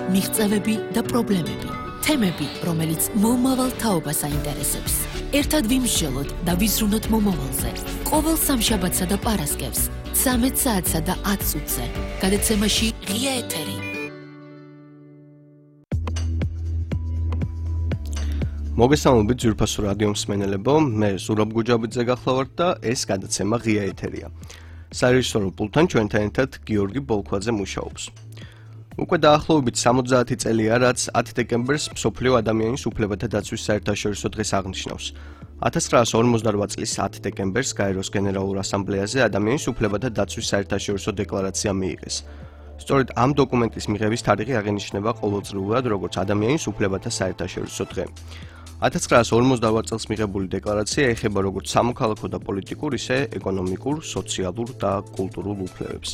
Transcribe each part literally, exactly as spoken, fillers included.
მიღწევები და პრობლემები. თემები, რომელიც მომავალ თაობას აინტერესებს. ერთად ვიმსჯელოთ და ვიზრუნოთ მომავალზე. ყოველ სამშაბათსა და პარასკევს, ცამეტ საათსა და ათ წუთზე. გადაცემაში ღია ეთერი. მოგესალმებით ძვირფასო რადიო მსმენელებო, მე ზურაბ გუჯაბიძე გახლავართ და ეს გადაცემა ღია ეთერია. სარეჟისორო პულტთან ჩვენთან ერთად გიორგი ბოლქვაძე მუშაობს. უკვე დაახლოებით სამოცდაათი წელია, რაც ათი დეკემბერს მსოფლიო ადამიანის უფლებათა დაცვის საერთაშორისო დღეს აღნიშნავს. ათას ცხრაასი ორმოცდარვაც წლის ათი დეკემბერს გაეროს გენერალურ ასამბლეაზე ადამიანის უფლებათა დაცვის საერთაშორისო დეკლარაცია მიიღეს. სწორედ ამ დოკუმენტის მიღების თარიღი აღინიშნება ყოველწლიურად როგორც ადამიანის უფლებათა საერთაშორისო დღე. ათას ცხრაასი ორმოცდარვაც წელს მიღებული დეკლარაცია ეხება როგორც სამოქალაქო და პოლიტიკურ, ისე ეკონომიკურ, სოციალურ და კულტურულ უფლებებს.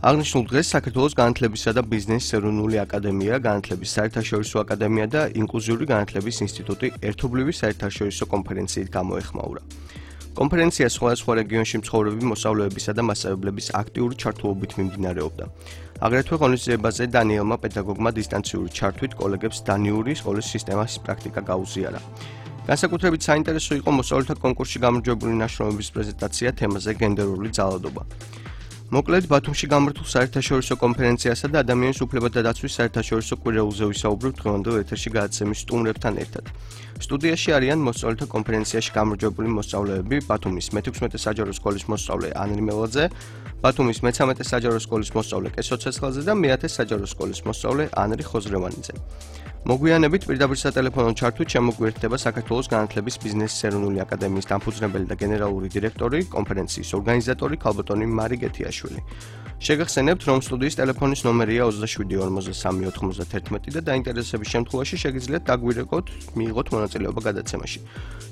აღნიშნულ დღეს საქართველოს განათლებისა და ბიზნესის ეროვნული აკადემია, განათლების საერთაშორისო აკადემია და ინკლუზიური განათლების ინსტიტუტი ერთობლივი საერთაშორისო კონფერენციით გამოეხმაურა. კონფერენცია სხვადასხვა რეგიონში მცხოვრები მოსწავლეებისა და მასწავლებლების აქტიური ჩართულობით მიმდინარეობდა. აგრეთვე ღონისძიებაზე დანიელმა პედაგოგმა დისტანციური ჩართვით კოლეგებს დანიური სკოლის სისტემის პრაქტიკა გაუზიარა. განსაკუთრებით საინტერესო იყო მოსწავლეთა კონკურსში გამარჯვებული ნაშრომების პრეზენტაცია თემაზე გენდერული ძალადობა. მოკლედ, ბათუმში გამართულ საერთაშორისო კონფერენციასა და ადამიანის უფლებათა დაცვის საერთაშორისო კვირეულზე ვისაუბრებთ დღევანდელ ეთერში გადაცემის სტუმრებთან ერთად. სტუდიაში არიან მოსწავლეთა კონფერენციაში გამარჯვებული მოსწავლეები, ბათუმის მეთექვსმეტე საჯარო სკოლის მოსწავლე ანრი მელაძე, ბათუმის მეცამეტე საჯარო სკოლის მოსწავლე კესო ცეცხლაძე და მეათე საჯარო სკოლის მოსწავლე ანრი ხოზრევანიძე. მოგვიანებით პირდაპირ სატელეფონო ჩართვით შემოგვიერთდება საქართველოს განათლების ბიზნესის ეროვნული აკადემიის დამფუძნებელი და გენერალური დირექტორი, კონფერენციის ორგანიზატორი ქალბატონი მარი გეთიაშვილი. შეგახსენებთ, რომ სტუდიის ტელეფონის ნომერია ოცდაშვიდი ორმოცდასამი ოთხმოცდაათერთმეტი და დაინტერესების შემთხვევაში შეგიძლიათ დაგვირეკოთ, მიიღოთ მონაწილეობა გადაცემაში.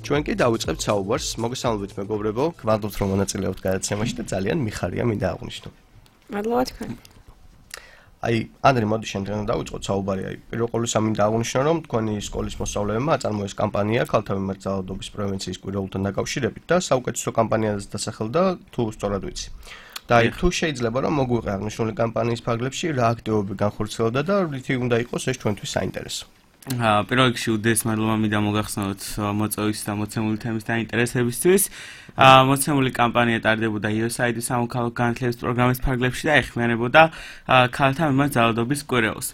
ჩვენ კი დავიწყებთ საუბარს. მოგესალმებით მეგობრებო, გვადობთ რომ მონაწილეობთ გადაცემაში და ძალიან მიხარია მინდა აღვნიშნო. მადლობა თქვენ. აი, ანდრე, მოდი შემდგომ დავიწყოთ საუბარი. აი, პირველ ყოვლისა მინდა აღვნიშნო, რომ თქვენი სკოლის მოსწავლეებმა აწარმოეს კამპანია ქალთა მიმართ ძალადობის პრევენციის კვირეულთან დაკავშირებით და საუკეთესო კამპანიაზე დასახელდა, თუ სწორად ვიცი. და აი, თუ შეიძლება რომ მოგვიყე აღნიშნული კამპანიის ფარგლებში რა აქტივობები განხორციელდა და რითი უნდა იყოს ეს ჩვენთვის საინტერესო. პირველ რიგში უდიდეს მადლობა მინდა მოგახსნათ მოწვევის და მოცემული თემის დაინტერესებისთვის. მოცემული კამპანია ტარდებოდა იუ ეს აი დი სამოქალაქო განათლების პროგრამის ფარგლებში და ეხმიანებოდა ქალთა მიმართ ძალადობის კვირეულს.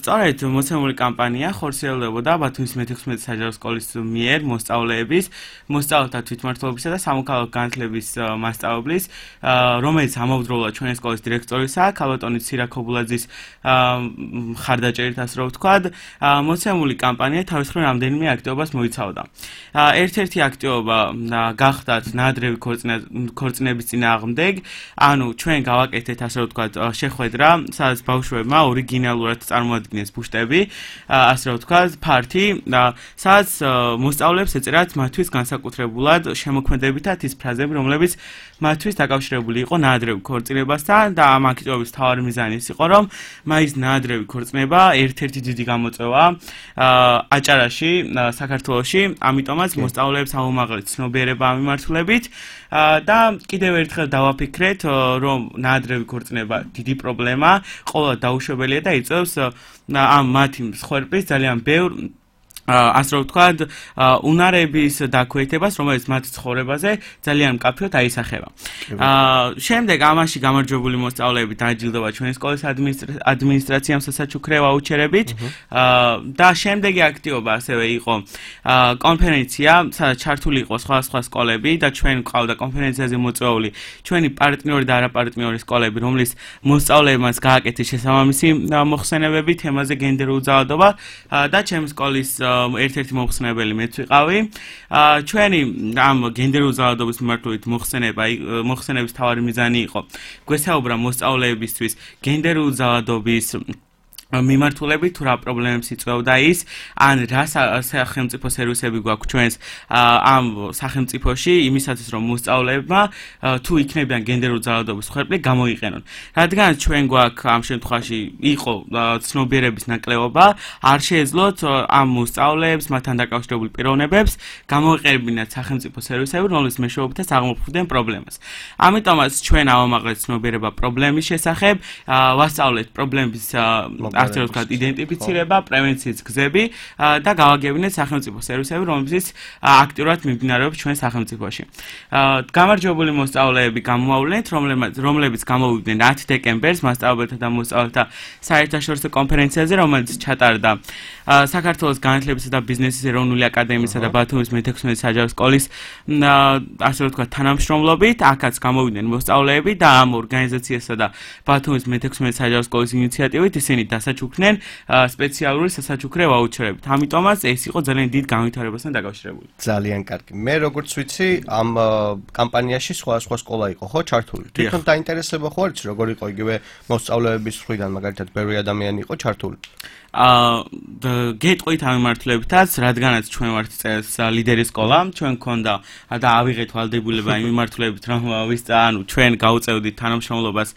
სწორედ მოცემული კამპანია ხორციელდებოდა ბათუმის მეთექვსმეტე საჯარო სკოლის მიერ მოსწავლეების, მოსწავლეთა თვითმმართველობისა და სამოქალაქო განათლების მასწავლებლის, რომელიც ამავდროულად ჩვენი სკოლის დირექტორისა, ქალბატონი ცირა ქობულაძის მხარდაჭერით, ასე რომ ვთქვათ, მოცემული კამპანია თავის მხრივ რამდენიმე აქტივობას მოიცავდა. ერთ-ერთი აქტივობა გახდათ ნაადრევი ქორწინების წინააღმდეგ, ანუ ჩვენ გავაკეთეთ, ასე რომ ვთქვათ, შეხვედრა, სადაც ბავშვებმა ორიგინალურად წარმოადგინეს ბუშტები, ასე რომ ვთქვათ, ფართი, სადაც მოსწავლეებს ეწერათ მათთვის განსაკუთრებულად შემოქმედებითად ის ფრაზები, რომლებიც მათთვის დაკავშირებული იყო ნაადრევი ქორწინებასთან და ამ აქტივობის მთავარი მიზანი ის იყო, რომ მაის ნაადრევი ქორწინება ერთ-ერთი დიდი გამოწვევა აჭარაში, საქართველოში, ამიტომაც მოსწავლეებს აუმაღლეთ ცნობიერება ამ მიმართულებით და კიდევ ერთხელ დავაფიქრეთ, რომ ნაადრევი ქორწინება დიდი პრობლემა, ყოველად დაუშვებელია და იწვევს ამ მათი მსხვერპლის ძალიან ბევრ ასე რომ ვთქვათ, უნარების დაქვეითებას, რომელიც მათ ცხოვრებაზე ძალიან მკაფიოდ აისახება. შემდეგ ამაში გამარჯვებული მოსწავლეები დააჯილდოვა ჩვენი სკოლის ადმინისტრაციამ სასაჩუქრე ვაუჩერებით და შემდეგი აქტივობა ასევე იყო კონფერენცია, სადაც ჩართული იყო სხვადასხვა სკოლები და ჩვენ გვყავდა კონფერენციაზე მოწვეული ჩვენი პარტნიორი და არაპარტნიორი სკოლები, რომლის მოსწავლეებმაც გააკეთეს შესაბამისი მოხსენებები თემაზე გენდერული ძალადობა და ჩემი სკოლის ერთ-ერთი მოხსენებელი მეც ვიყავი. ჩვენი ამ გენდერული ძალადობის მიმართულებით მოხსენება, მოხსენების მთავარი მიზანი იყო გვესაუბრა მოსწავლეებისთვის გენდერული ძალადობის მიმართულებით თუ რა პრობლემებს იწვევდა ის, ან რა სახელმწიფო სერვისები გვაქვს ჩვენს ამ სახელმწიფოში იმისათვის რომ მოსწავლეებმა თუ იქნებიან გენდერული ძალადობის მსხვერპლი გამოიყენონ. რადგან ჩვენ გვაქვს ამ შემთხვევაში იყო ცნობიერების ნაკლებობა, არ შეეძლოთ ამ მოსწავლეებს მათთან დაკავშირებული პიროვნებებს გამოიყენებინათ სახელმწიფო სერვისები, რომლის მეშვეობითაც აღმოფხვრდნენ პრობლემას. ამიტომაც ჩვენ ავამაღლეთ ცნობიერება პრობლემის შესახებ, ვასწავლეთ პრობლემის ასე რომ ვთქვათ, იდენტიფიცირება, პრევენციის გზები და გავაგებინეთ სახელმწიფო სერვისები, რომლებიც აქტიურად მიმდინარეობს ჩვენ სახელმწიფოში. გამარჯვებული მოსწავლეები გამოვავლენთ, რომლებიც გამოვიდნენ ათი დეკემბერს მასწავლებელთა და მოსწავლეთა საერთაშორისო კონფერენციაზე, რომელიც ჩატარდა საქართველოს განათლებისა და ბიზნესის ეროვნული აკადემიისა და ბათუმის მეთექვსმეტე საჯარო სკოლის ასე რომ ვთქვათ თანამშრომლობით, აქაც გამოვიდნენ მოსწავლეები და ამ ორგანიზაციასა და ბათუმის მეთექვსმეტე საჯარო სკოლის ინიციატივით ისინი დასაჩუქრნენ სპეციალური სასაჩუქრე ვაუჩერებით. ამიტომაც ეს იყო ძალიან დიდ განვითარებასთან დაკავშირებული. ძალიან კარგი. მე როგორც ვიცი, ამ კამპანიაში სხვა სხვა სკოლა იყო, ხო, ჩართული. თვითონ დაინტერესება ხო არის, როგორ იყო იგივე მოსწავლეების მხრიდან, მაგალითად, ბევრი ადამიანი იყო ჩართული. აა გეტყვით ამ მიმართულებითაც, რადგანაც ჩვენ ვართ წელს ლიდერი სკოლა, ჩვენ გქონდა და ავიღეთ ვალდებულება იმ მიმართულებით, რომ ვისწა, ანუ ჩვენ გავუწევდით თანამშრომლობას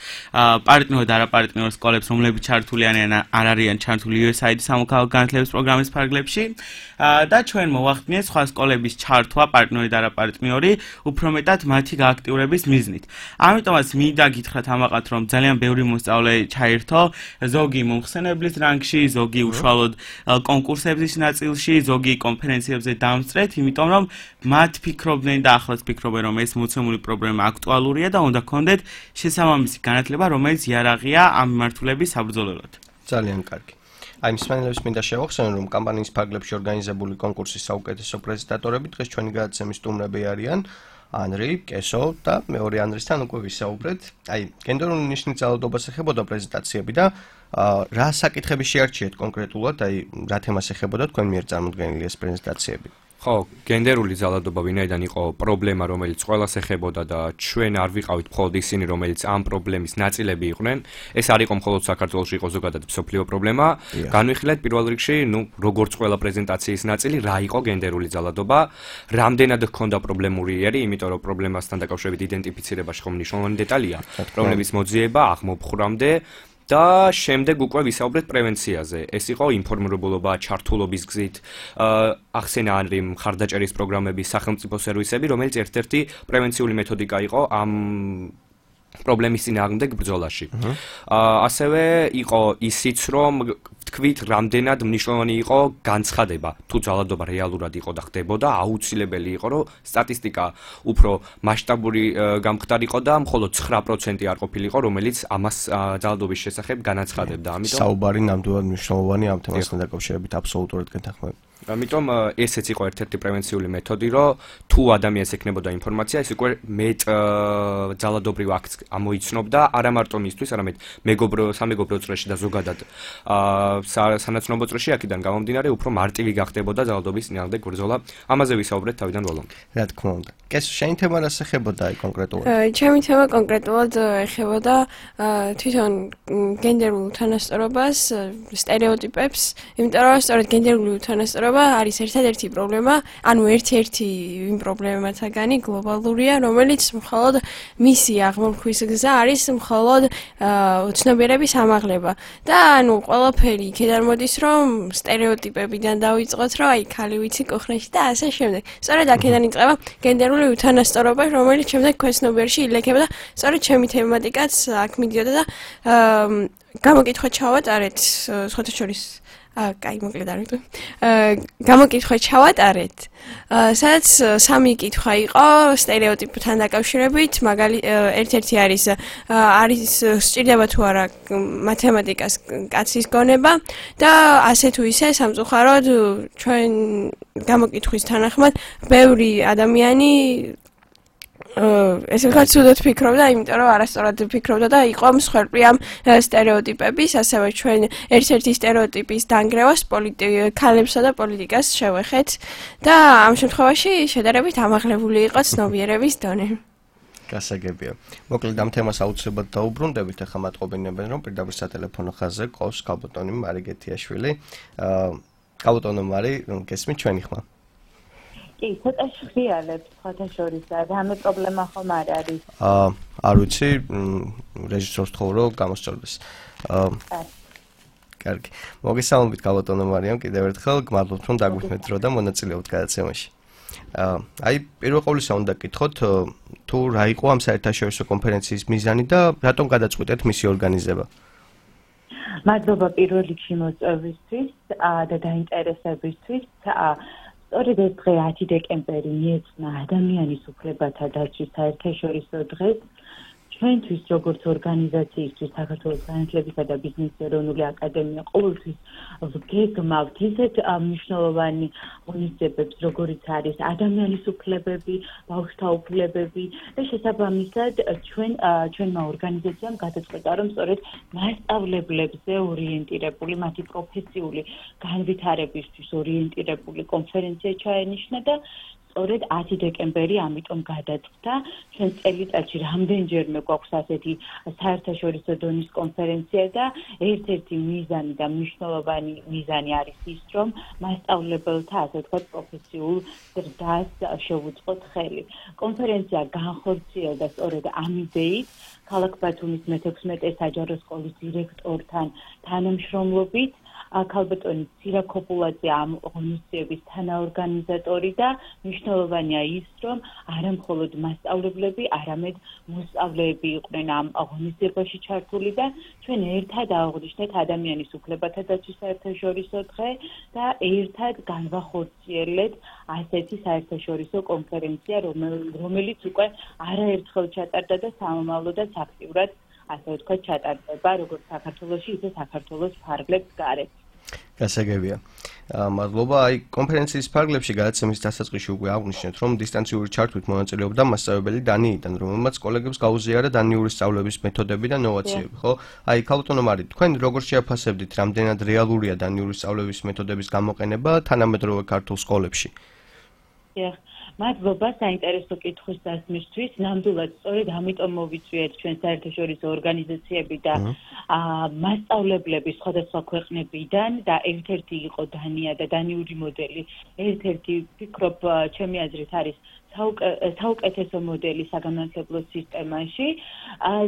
პარტნიორ და არაპარტნიორ სკოლებს, რომლებიც ჩართული არიან არ არიან ჩართული იუ ეს აი დი სამოქალაქო განათლების პროგრამის ფარგლებში და ჩვენ მოვახდინეთ სხვა სკოლების ჩართვა პარტნიორი და არაპარტნიორი, უფრო მეტად მათი გააქტიურების მიზნით. ამიტომაც მინდა გითხრათ ამაყად, რომ ძალიან ბევრი მოსწავლე ჩაერთო, ზოგი მომხსენებლის რანგში, ზოგი უშუალოდ კონკურსების ნაწილში, ზოგი კონფერენციებზე დამსწრეთ, იმიტომ რომ მათ ფიქრობდნენ და ახლაც ფიქრობენ, რომ ეს მოცემული პრობლემა აქტუალურია და უნდა გქონდეთ შესაბამისი განათლება, რომელიც იარაღია ამ მიმართულების საბრძოლველად. ძალიან კარგი. აი, მსმენელებს მინდა შევახსენო, რომ კამპანიის ფარგლებში ორგანიზებული კონკურსის საუკეთესო პრეზენტატორები დღეს ჩვენი გადაცემის სტუმრები არიან ანრი, კესო და მეორე ანრისთან უკვე ვისაუბრეთ. აი, გენდერული ნიშნის ძალადობას ეხებოდა პრეზენტაციები და რა საკითხები შეარჩიეთ კონკრეტულად, აი, რა თემას ეხებოდა თქვენ მიერ წარმოდგენილი ეს პრეზენტაციები? ხო, გენდერული ძალადობა ვინაიდან იყო პრობლემა, რომელიც ყველას ეხებოდა და ჩვენ არ ვიყავით მხოლოდ ისინი, რომელიც ამ პრობლემის ნაწილები იყვნენ. ეს არ იყო მხოლოდ საქართველოში, იყო ზოგადად მსოფლიო პრობლემა. განვიხილეთ პირველ რიგში, ну, როგორც ყველა პრეზენტაციის ნაწილი, რა იყო გენდერული ძალადობა, რამდენად ჰქონდა პრობლემური იერი, იმიტომ რომ პრობლემასთან დაკავშირებით იდენტიფიცირებაში ხომ მნიშვნელოვანი დეტალია, პრობლემის მოძიება აღმოფხვრამდე და შემდეგ უკვე ვისაუბრეთ პრევენციაზე. ეს იყო ინფორმირებულობა, ჩართულობის გზით, ახსენა ანრი მხარდაჭერის პროგრამები, სახელმწიფო სერვისები, რომელიც ერთ-ერთი პრევენციული მეთოდიკა იყო ამ პრობლემის წინააღმდეგ ბრძოლაში. ასევე იყო ისიც, რომ ვთქვით, რამდენად მნიშვნელოვანი იყო განცხადება, თუ ძალადობა რეალურად იყო და ხდებოდა, აუცილებელი იყო, რომ სტატისტიკა უფრო მასშტაბური გამხდარიყო და მხოლოდ ცხრა პროცენტი არ ყოფილიყო, რომელიც ამას ძალადობის შესახებ განაცხადებდა. ამიტომ საუბარი ნამდვილად მნიშვნელოვანი ამ თემასთან დაკავშირებით აბსოლუტურად გეთანხმები. ამიტომ ესეც იყო ერთ-ერთი პრევენციული მეთოდი, რომ თუ ადამიანს ექნებოდა ინფორმაცია, ეს უკვე მეტ ძალადობრივ აქტს ამოიცნობდა, არა მარტო მისთვის, არამედ მეგობრო, სამეგობრო წრეში და ზოგადად სანაცნობო წრეში, აქედან გამომდინარე, უფრო მარტივი გახდებოდა ძალადობის წინააღმდეგ ბრძოლა. ამაზე ვისაუბრეთ თავიდან ბოლომდე. რა თქმა უნდა. კესო, შენი თემა რას ეხებოდა აი კონკრეტულად? ჩემი თემა კონკრეტულად ეხებოდა თვითონ გენდერულ უთანასწორობას, სტერეოტიპებს, იმიტომ რომ სწორედ გენდერული უთანასწორობა არის ერთადერთი პრობლემა, ანუ ერთ-ერთი იმ პრობლემათაგანი გლობალურია, რომელიც მხოლოდ მისი აღმოფხვის გზა არის მხოლოდ ცნობიერების ამაღლება. და ანუ ყველაფერი იქიდან მოდის, რომ სტერეოტიპებიდან დავიწყოთ, რომ აი ქალი ვიცი კუხნაში და ასე შემდეგ. სწორედ აქედან იწყება გენდერული უთანასწორობა, რომელიც შემდეგ ქვეცნობიერში ილექება და სწორედ ჩემი თემატიკაც აქ მიდიოდა და გამოკითხვა ჩავატარეთ სხვათა შორის აა, კაი, მოკლედ არ ვიტყვი. აა, გამოკითხვა ჩავატარეთ. აა, სადაც სამი კითხვა იყო სტერეოტიპთან დაკავშირებით, მაგალი ერთ-ერთი არის არის სჭირდება თუ არა მათემატიკას კაცის გონება და ასე თუ ისე სამწუხაროდ ჩვენ გამოკითხვის თანახმად ბევრი ადამიანი ესე ვთქვათ, ცუდად ფიქრობდა, იმიტომ რომ არასწორად ფიქრობდა და იყო მსხვერპლი ამ სტერეოტიპების, ასევე ჩვენ ერთ-ერთი სტერეოტიპის დანგრევას ქალებსა და პოლიტიკას შევეხეთ და ამ შემთხვევაში შედარებით ამაღლებული იყო ცნობიერების დონე. გასაგებია. მოკლედ ამ თემას აუცილებლად დაუბრუნდებით, ახლა მათყობინებენ, რომ პირდაპირ სატელეფონო ხაზზე ყავს კალბოტონი მარი გეთიაშვილი. აა კალბოტონო მარი, გესმით ჩვენი ხმა? კი, ცოტა შეხიალებს სხვათა შორის და რამე პრობლემა ხომ არ არის? აა, არ ვიცი, რეჟისორს თხოვ რომ გამოსწორდეს. აა კარგი. მოგესალმებით კალბოტონო მარიამ, კიდევ ერთხელ გმადლობთ რომ დაგვიხმეთ დრო და მონაწილეობთ გადაცემაში. აა, აი, პირველ ყოვლისა უნდა გკითხოთ, თუ რა იყო ამ საერთაშორისო კონფერენციის მიზანი და რატომ გადაწყვიტეთ მისი ორგანიზება? მადლობა პირველ რიგში მოწვევისთვის და დაინტერესებისთვის. სწორედ ეს დღე ათი დეკემბერი მიეძღვნა ადამიანის უფლებათა დაცვის საერთაშორისო დღეს. ჩვენთვის როგორც ორგანიზაციისთვის საქართველოს განათლებისა და ბიზნესის ეროვნული აკადემია ყოველთვის ვგეგმავთ ისეთ მნიშვნელოვანი ღონისძიებებს, როგორიც არის ადამიანის უფლებები, ბავშვთა უფლებები და შესაბამისად ჩვენ ჩვენმა ორგანიზაციამ გადაწყვეტა, რომ სწორედ მასწავლებლებზე ორიენტირებული, მათი პროფესიული განვითარებისთვის ორიენტირებული კონფერენცია ჩაენიშნა და სწორედ ათი დეკემბერი ამიტომ გადაწყდა. ჩვენ წელიწადში რამდენჯერმე გვაქვს ასეთი საერთაშორისო დონის კონფერენცია და ერთ-ერთი მიზანი და მნიშვნელოვანი მიზანი არის ის, რომ მასწავლებელთა, ასე ვთქვათ, პროფესიულ ზრდას შევუწყოთ ხელი. კონფერენცია განხორციელდა სწორედ ამ იდეით, ქალაქ ბათუმის მეთექვსმეტე საჯარო სკოლის დირექტორთან თანამშრომლობით. ქალბატონი ცირაკოპულაძე ამ ღონისძიების თანაორგანიზატორი და მნიშვნელოვანია ის, რომ არა მხოლოდ მასწავლებლები, არამედ მოსწავლეები იყვნენ ამ ღონისძიებაში ჩართული და ჩვენ ერთად აღვნიშნეთ ადამიანის უფლებათა დაცვის საერთაშორისო დღე და ერთად განვახორციელეთ ასეთი საერთაშორისო კონფერენცია, რომელიც უკვე არაერთხელ ჩატარდა და სამომავლოდაც აქტიურად ასე ვთქვათ ჩატარდება როგორც საქართველოში, ისე საქართველოს ფარგლებს გარეთ. გასაგებია. მადლობა. აი კონფერენციის ფარგლებში გადაცემის დასაწყისში უკვე აღვნიშნეთ, რომ დისტანციური ჩართვით მონაწილეობდა მასწავლებელი დანიიდან, რომელმაც კოლეგებს გაუზიარა დანიური სწავლების მეთოდები და ნოვაციები, ხო? აი ქალბატონო მარი, თქვენ როგორ შეაფასებდით, რამდენად რეალურია დანიური სწავლების მეთოდების გამოყენება თანამედროვე ქართულ სკოლებში? დიახ. მადლობა საინტერესო კითხვის დასმისთვის. ნამდვილად სწორედ ამიტომ მოვიწვიეთ ჩვენ საერთაშორისო ორგანიზაციები და მასწავლებლები სხვადასხვა ქვეყნებიდან და ერთ-ერთი იყო დანია და დანიური მოდელი. ერთ-ერთი ვფიქრობ, ჩემი აზრით არის საუკეთესო მოდელი საგანმანათლებლო სისტემაში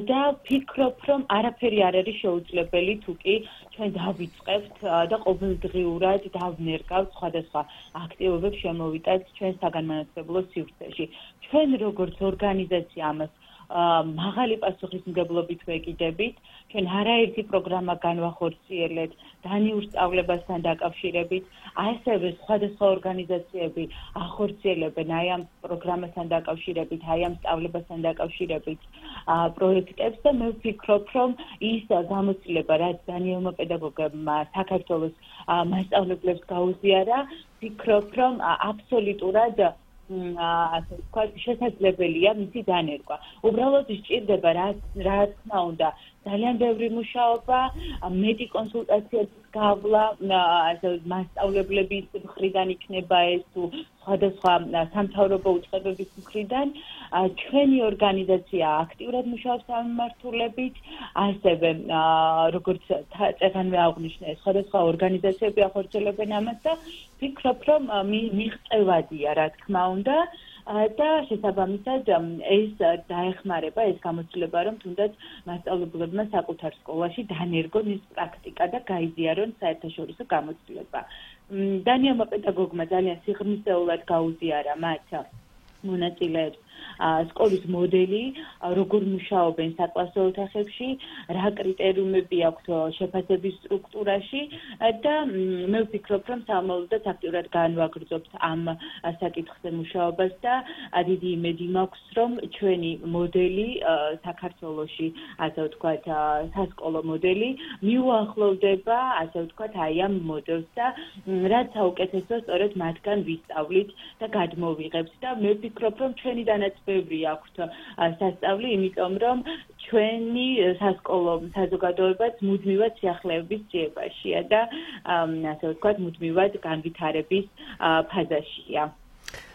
და ვფიქრობ, რომ არაფერი არ არის შეუძლებელი თუ კი ჩვენ დავიწყებთ და ყოველდღიურად დავნერგავთ სხვადასხვა აქტივობებს შემოვიტანთ ჩვენ საგანმანათლებლო სივრცეში. ჩვენ როგორც ორგანიზაცია ამას მაღალი პასუხისმგებლობით ვეკიდებით. ჩვენ არაერთი პროგრამა განვახორციელეთ დანიურ სწავლებასთან დაკავშირებით, ასევე სხვადასხვა ორგანიზაციები ახორციელებენ აი ამ პროგრამასთან დაკავშირებით, აი ამ სწავლებასთან დაკავშირებით პროექტებს და მე ვფიქრობ, რომ ის გამოცდილება, რაც დანიელმა პედაგოგებმა საქართველოს მასწავლებლებს გაუზიარა, ვფიქრობ, რომ აბსოლუტურად ასე ვთქვათ, შესაძლებელია მისი დანერგვა. უბრალოდ სჭირდება რა რა თქმა უნდა ძალიან ბევრი მუშაობა, მეტი კონსულტაციების გავლა, ასე მასწავლებლების მხრიდან იქნება ეს თუ სხვადასხვა სამთავრობო უწყებების მხრიდან. ჩვენი ორგანიზაცია აქტიურად მუშაობს ამ მიმართულებით, ასევე როგორც წეგანვე აღვნიშნე, სხვადასხვა ორგანიზაციები ახორციელებენ ამას და ვფიქრობ, რომ მიღწევადია, რა თქმა უნდა. და შესაბამისად ეს დაეხმარება ეს გამოცდილება, რომ თუნდაც მასწავლებლებმა საკუთარ სკოლაში დანერგონ ის პრაქტიკა და გაიზიარონ საერთაშორისო გამოცდილება. დანიელმა პედაგოგმა ძალიან სიღრმისეულად გაუზიარა მათ მონაწილეებს სკოლის მოდელი, როგორ მუშაობენ საკლასო ოთახებში, რა კრიტერიუმები აქვთ შეფასების სტრუქტურაში და მე ვფიქრობ, რომ სამომავლოდაც აქტიურად განვაგრძობთ ამ საკითხზე მუშაობას და დიდი იმედი მაქვს, რომ ჩვენი მოდელი საქართველოში, ასე ვთქვათ, სასკოლო მოდელი მიუახლოვდება, ასე ვთქვათ, აი ამ მოდელს და რაც საუკეთესო სწორედ მათგან ვისწავლით და გადმოვიღებთ და მე ვფიქრობ, რომ ჩვენი დანაც ბევრი აქვთ სასწავლი, იმიტომ რომ ჩვენი სასკოლო საზოგადოებაც მუდმივად სიახლეების ძიებაშია და ასე ვთქვათ, მუდმივად განვითარების ფაზაშია.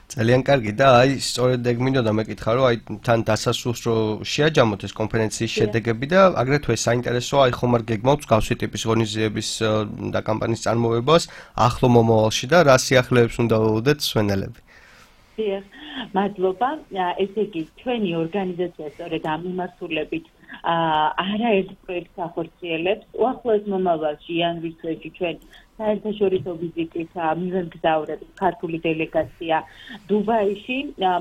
ძალიან კარგი და აი სწორედ ეგ მინდოდა მეკითხა, რომ აი თან დასასრულს რო შეაჯამოთ ეს კონფერენციის შედეგები და აგრეთვე საინტერესოა აი ხომ არ გეგმავთ მსგავსი ტიპის ღონისძიების და კამპანიის წარმოებას ახლო მომავალში და რა სიახლეებს უნდა ველოდეთ მსვენელები? მადლობა. ესე იგი, ჩვენი ორგანიზაცია სწორედ ამ მიმართულებით არაერთ პროექტს ახორციელებს. უახლოეს მომავალში იანვრის თვეში ჩვენ საერთაშორისო ვიზიტით მივემგზავრებით ქართული დელეგაცია დუბაიში.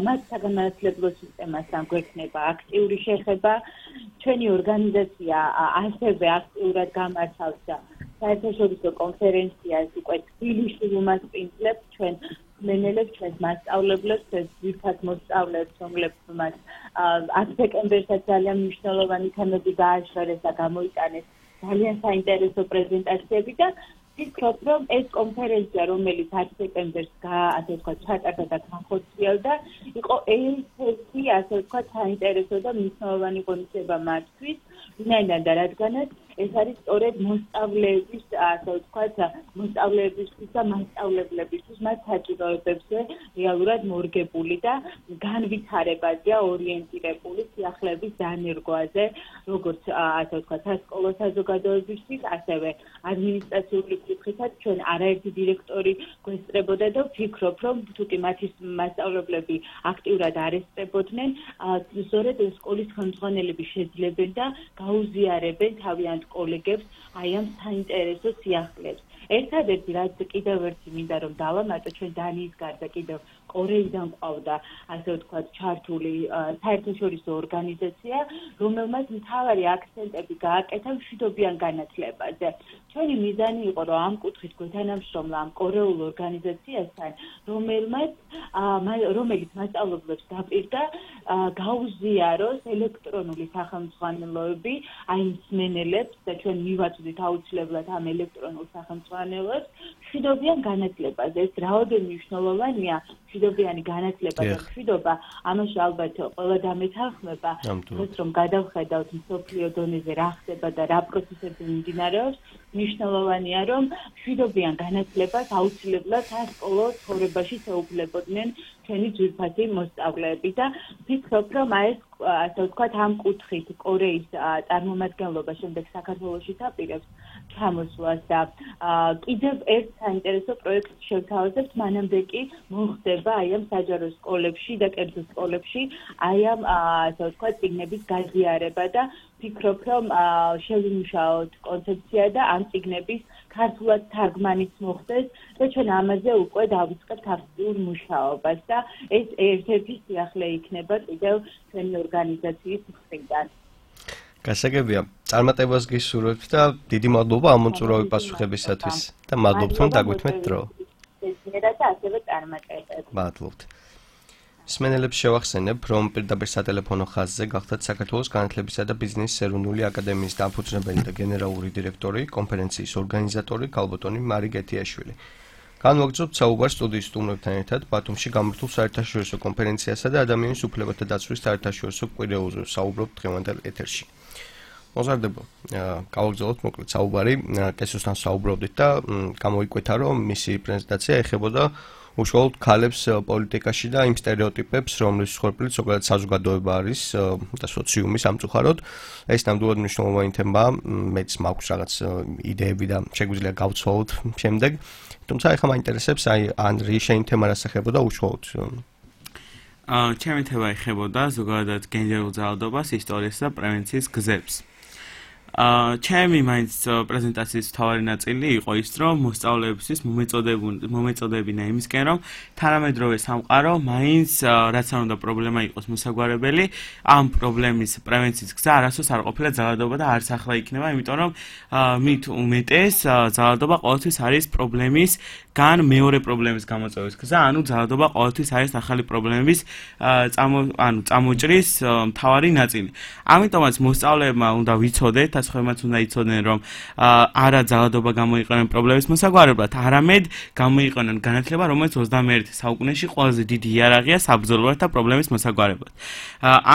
მათ საგანმანათლებლო სისტემასთან გვექნება აქტიური შეხება. ჩვენი ორგანიზაცია ასევე აქტიურად გამართავს საერთაშორისო კონფერენციას უკვე თბილისში უმასპინძლებს ჩვენ მენელებს ჩვენს მასწავლებლებს, ჩვენს ძირფად მოსწავლეებს, რომლებიც მას ათი დეკემბერსაც ძალიან მნიშვნელოვანი თემები გააშორეს და გამოიტანეს ძალიან საინტერესო პრეზენტაციები და ვფიქრობ, რომ ეს კონფერენცია, რომელიც ათი დეკემბერს ასე ვთქვათ, ჩატარდა და განხორციელდა, იყო ერთ-ერთი ასე ვთქვათ, საინტერესო და მნიშვნელოვანი ღონისძიება მათთვის, ვინაიდან და რადგანაც ეს არის სწორედ მოსწავლეების, ასე ვთქვათ, მოსწავლეებისთვის და მასწავლებლებისთვის მათ საჭიროებებზე რეალურად მორგებული და განვითარებაზეა ორიენტირებული სიახლეების დანერგვაზე, როგორც ასე ვთქვათ, სასკოლო საზოგადოებისთვის, ასევე ადმინისტრაციული კუთხითაც ჩვენ არაერთი დირექტორი გვესწრებოდა და ვფიქრობ, რომ თუკი მათი მასწავლებლები აქტიურად არ ესწრებოდნენ, სწორედ სკოლის ხელმძღვანელები შეძლებენ და გაუზიარებენ თავიანთ კოლეგებს აი ამ საინტერესო სიახლეებს. ერთადერთი რაც კიდევ ერთი მინდა რომ დავამატო, ჩვენ დანიის გარდა კიდევ კორეიდან ყავდა, ასე ვთქვათ, ჩართული საერთაშორისო ორგანიზაცია, რომელმაც მთავარი აქცენტები გააკეთა მშვიდობიან განათლებაზე. ჩვენი მიზანი იყო, რომ ამ კუთხით გვეთანამშრომლა ამ კორეულ ორგანიზაციასთან, რომელმაც რომელიც მასწავლებლებს დაპირდა გაუზიაროს ელექტრონული სახელმძღვანელოები, აი მსმენელებს და ჩვენ მივაწვდით აუცილებლად ამ ელექტრონულ სახელმძღვანელოებს მშვიდობიან განათლებაზე. ეს რაოდენ მნიშვნელოვანია მშვიდობიანი განათლება და მშვიდობა, ამაში ალბათ ყველა დამეთანხმება, როგორც რომ გადავხედავთ მსოფლიო დონეზე რა ხდება და რა პროცესები მიმდინარეობს, მნიშვნელოვანია რომ მშვიდობიან განათლებას აუცილებლად სასკოლო ცხოვრებაში შეუძლებოდნენ ჩვენი ძვირფასი მოსწავლეები და ვფიქრობ, რომ აი ეს ასე ვთქვათ, ამ კუთხით კორეის წარმომადგენლობა შემდეგ საქართველოში დაპირებს ჩამოსვლას და კიდევ ერთ საინტერესო პროექტს შევთავაზებთ, მანამდე კი მოხდება აი ამ საჯარო სკოლებში და კერძო სკოლებში აი ამ ასე ვთქვათ, წიგნების გაზიარება და ვფიქრობ, რომ შევიმუშაოთ კონცეფცია და ამ წიგნების ქართულად თარგმანიც მოხდეს და ჩვენ ამაზე უკვე დავიწყებთ აქტიურ მუშაობას და ეს ერთ-ერთი სიახლე იქნება კიდევ ჩვენი ორგანიზაციის მხრიდან. გასაგებია, წარმატებას გისურვებთ და დიდი მადლობა ამ მოწვევის პასუხებისათვის და მადლობთ რომ დაგვითმეთ დრო. და ასევე წარმატებებს. მადლობთ. მსმენელებს შევახსენებ, რომ პირდაპირ სატელეფონო ხაზზე გახდათ საქართველოს განათლებისა და ბიზნესის ეროვნული აკადემიის დამფუძნებელი და გენერალური დირექტორი, კონფერენციის ორგანიზატორი ქალბატონი მარი გეთიაშვილი. განვაგრძობთ საუბარს სტუდიის სტუმრებთან ერთად ბათუმში გამართულ საერთაშორისო კონფერენციასა და ადამიანის უფლებათა დაცვის საერთაშორისო კვირეულზე საუბრობთ დღევანდელ ეთერში. მოზარდებო, გავაგრძელოთ მოკლედ საუბარი, კესოსთან საუბრობდით და გამოიკვეთა, რომ მისი პრეზენტაცია ეხებოდა უშუალოდ ქალებს პოლიტიკაში და იმ სტერეოტიპებს, რომლის მსხვერპლიც ზოგადად საზოგადოება არის და სოციუმი სამწუხაროდ. ეს ნამდვილად მნიშვნელოვანი თემაა, მეც მაქვს რაღაც იდეები და შეგვიძლია გავცვალოთ შემდეგ. თუმცა ეხლა მაინტერესებს აი ანდრი შენ თემა რას ეხებოდა უშუალოდ? აა ჩემი თემა ეხებოდა ზოგადად გენდერულ ძალადობას, ისტორიასა და პრევენციის გზებს. აა ჩემი მაინც პრეზენტაციის თავარი ნაწილი იყო ის, რომ მოსწავლეებისთვის მომეწოდებინა იმისკენ, რომ თანამედროვე სამყარო მაინც რაც არ უნდა პრობლემა იყოს მოსაგვარებელი, ამ პრობლემის პრევენციის გზა არასდროს არ ყოფილა ძალადობა და არც ახლა იქნება, იმიტომ რომ მით უმეტეს ძალადობა ყოველთვის არის პრობლემის გან მეორე პრობლემის გამოწვევის გზა, ანუ ძალადობა ყოველთვის არის ახალი პრობლემების ანუ წამოჭრის მთავარი ნაწილი. ამიტომაც მოსწავლეებმა უნდა ვიცოდეთ, ასხმევაც უნდა იცოდნენ, რომ არა ძალადობა გამოიყენენ პრობლემის მოსაგვარებლად, არამედ გამოიყენენ განათლება, რომელიც ოცდამეერთე საუკუნეში ყველაზე დიდი იარაღია საბრძოლოებად და პრობლემის მოსაგვარებლად.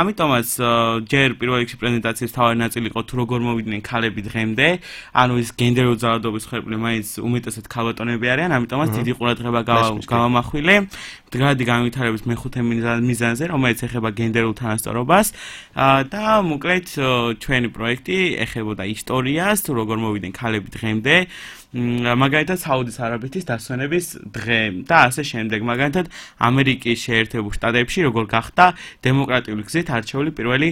ამიტომაც ჯერ პირველ რიგში პრეზენტაციის მთავარი ნაწილი იყო თუ როგორ მოვიდნენ ქალები დღემდე, ანუ ეს გენდერული ძალადობის მსხვერპლი მაინც უმეტესად ქალბატონები არიან, ამიტომაც დიდი ყურადღება გავამახვილე მდგრადი განვითარების მეხუთე მიზანზე, რომელიც ეხება გენდერულ თანასწორობას და მოკლედ ჩვენი პროექტი ეხებოდა ისტორიას, თუ როგორ მოვიდნენ ქალები დღემდე მაგალითად საუდის არაბეთის დასვენების დღე და ასე შემდეგ. მაგალითად ამერიკის შეერთებულ შტატებში როგორ გახდა დემოკრატიული გზით არჩეული პირველი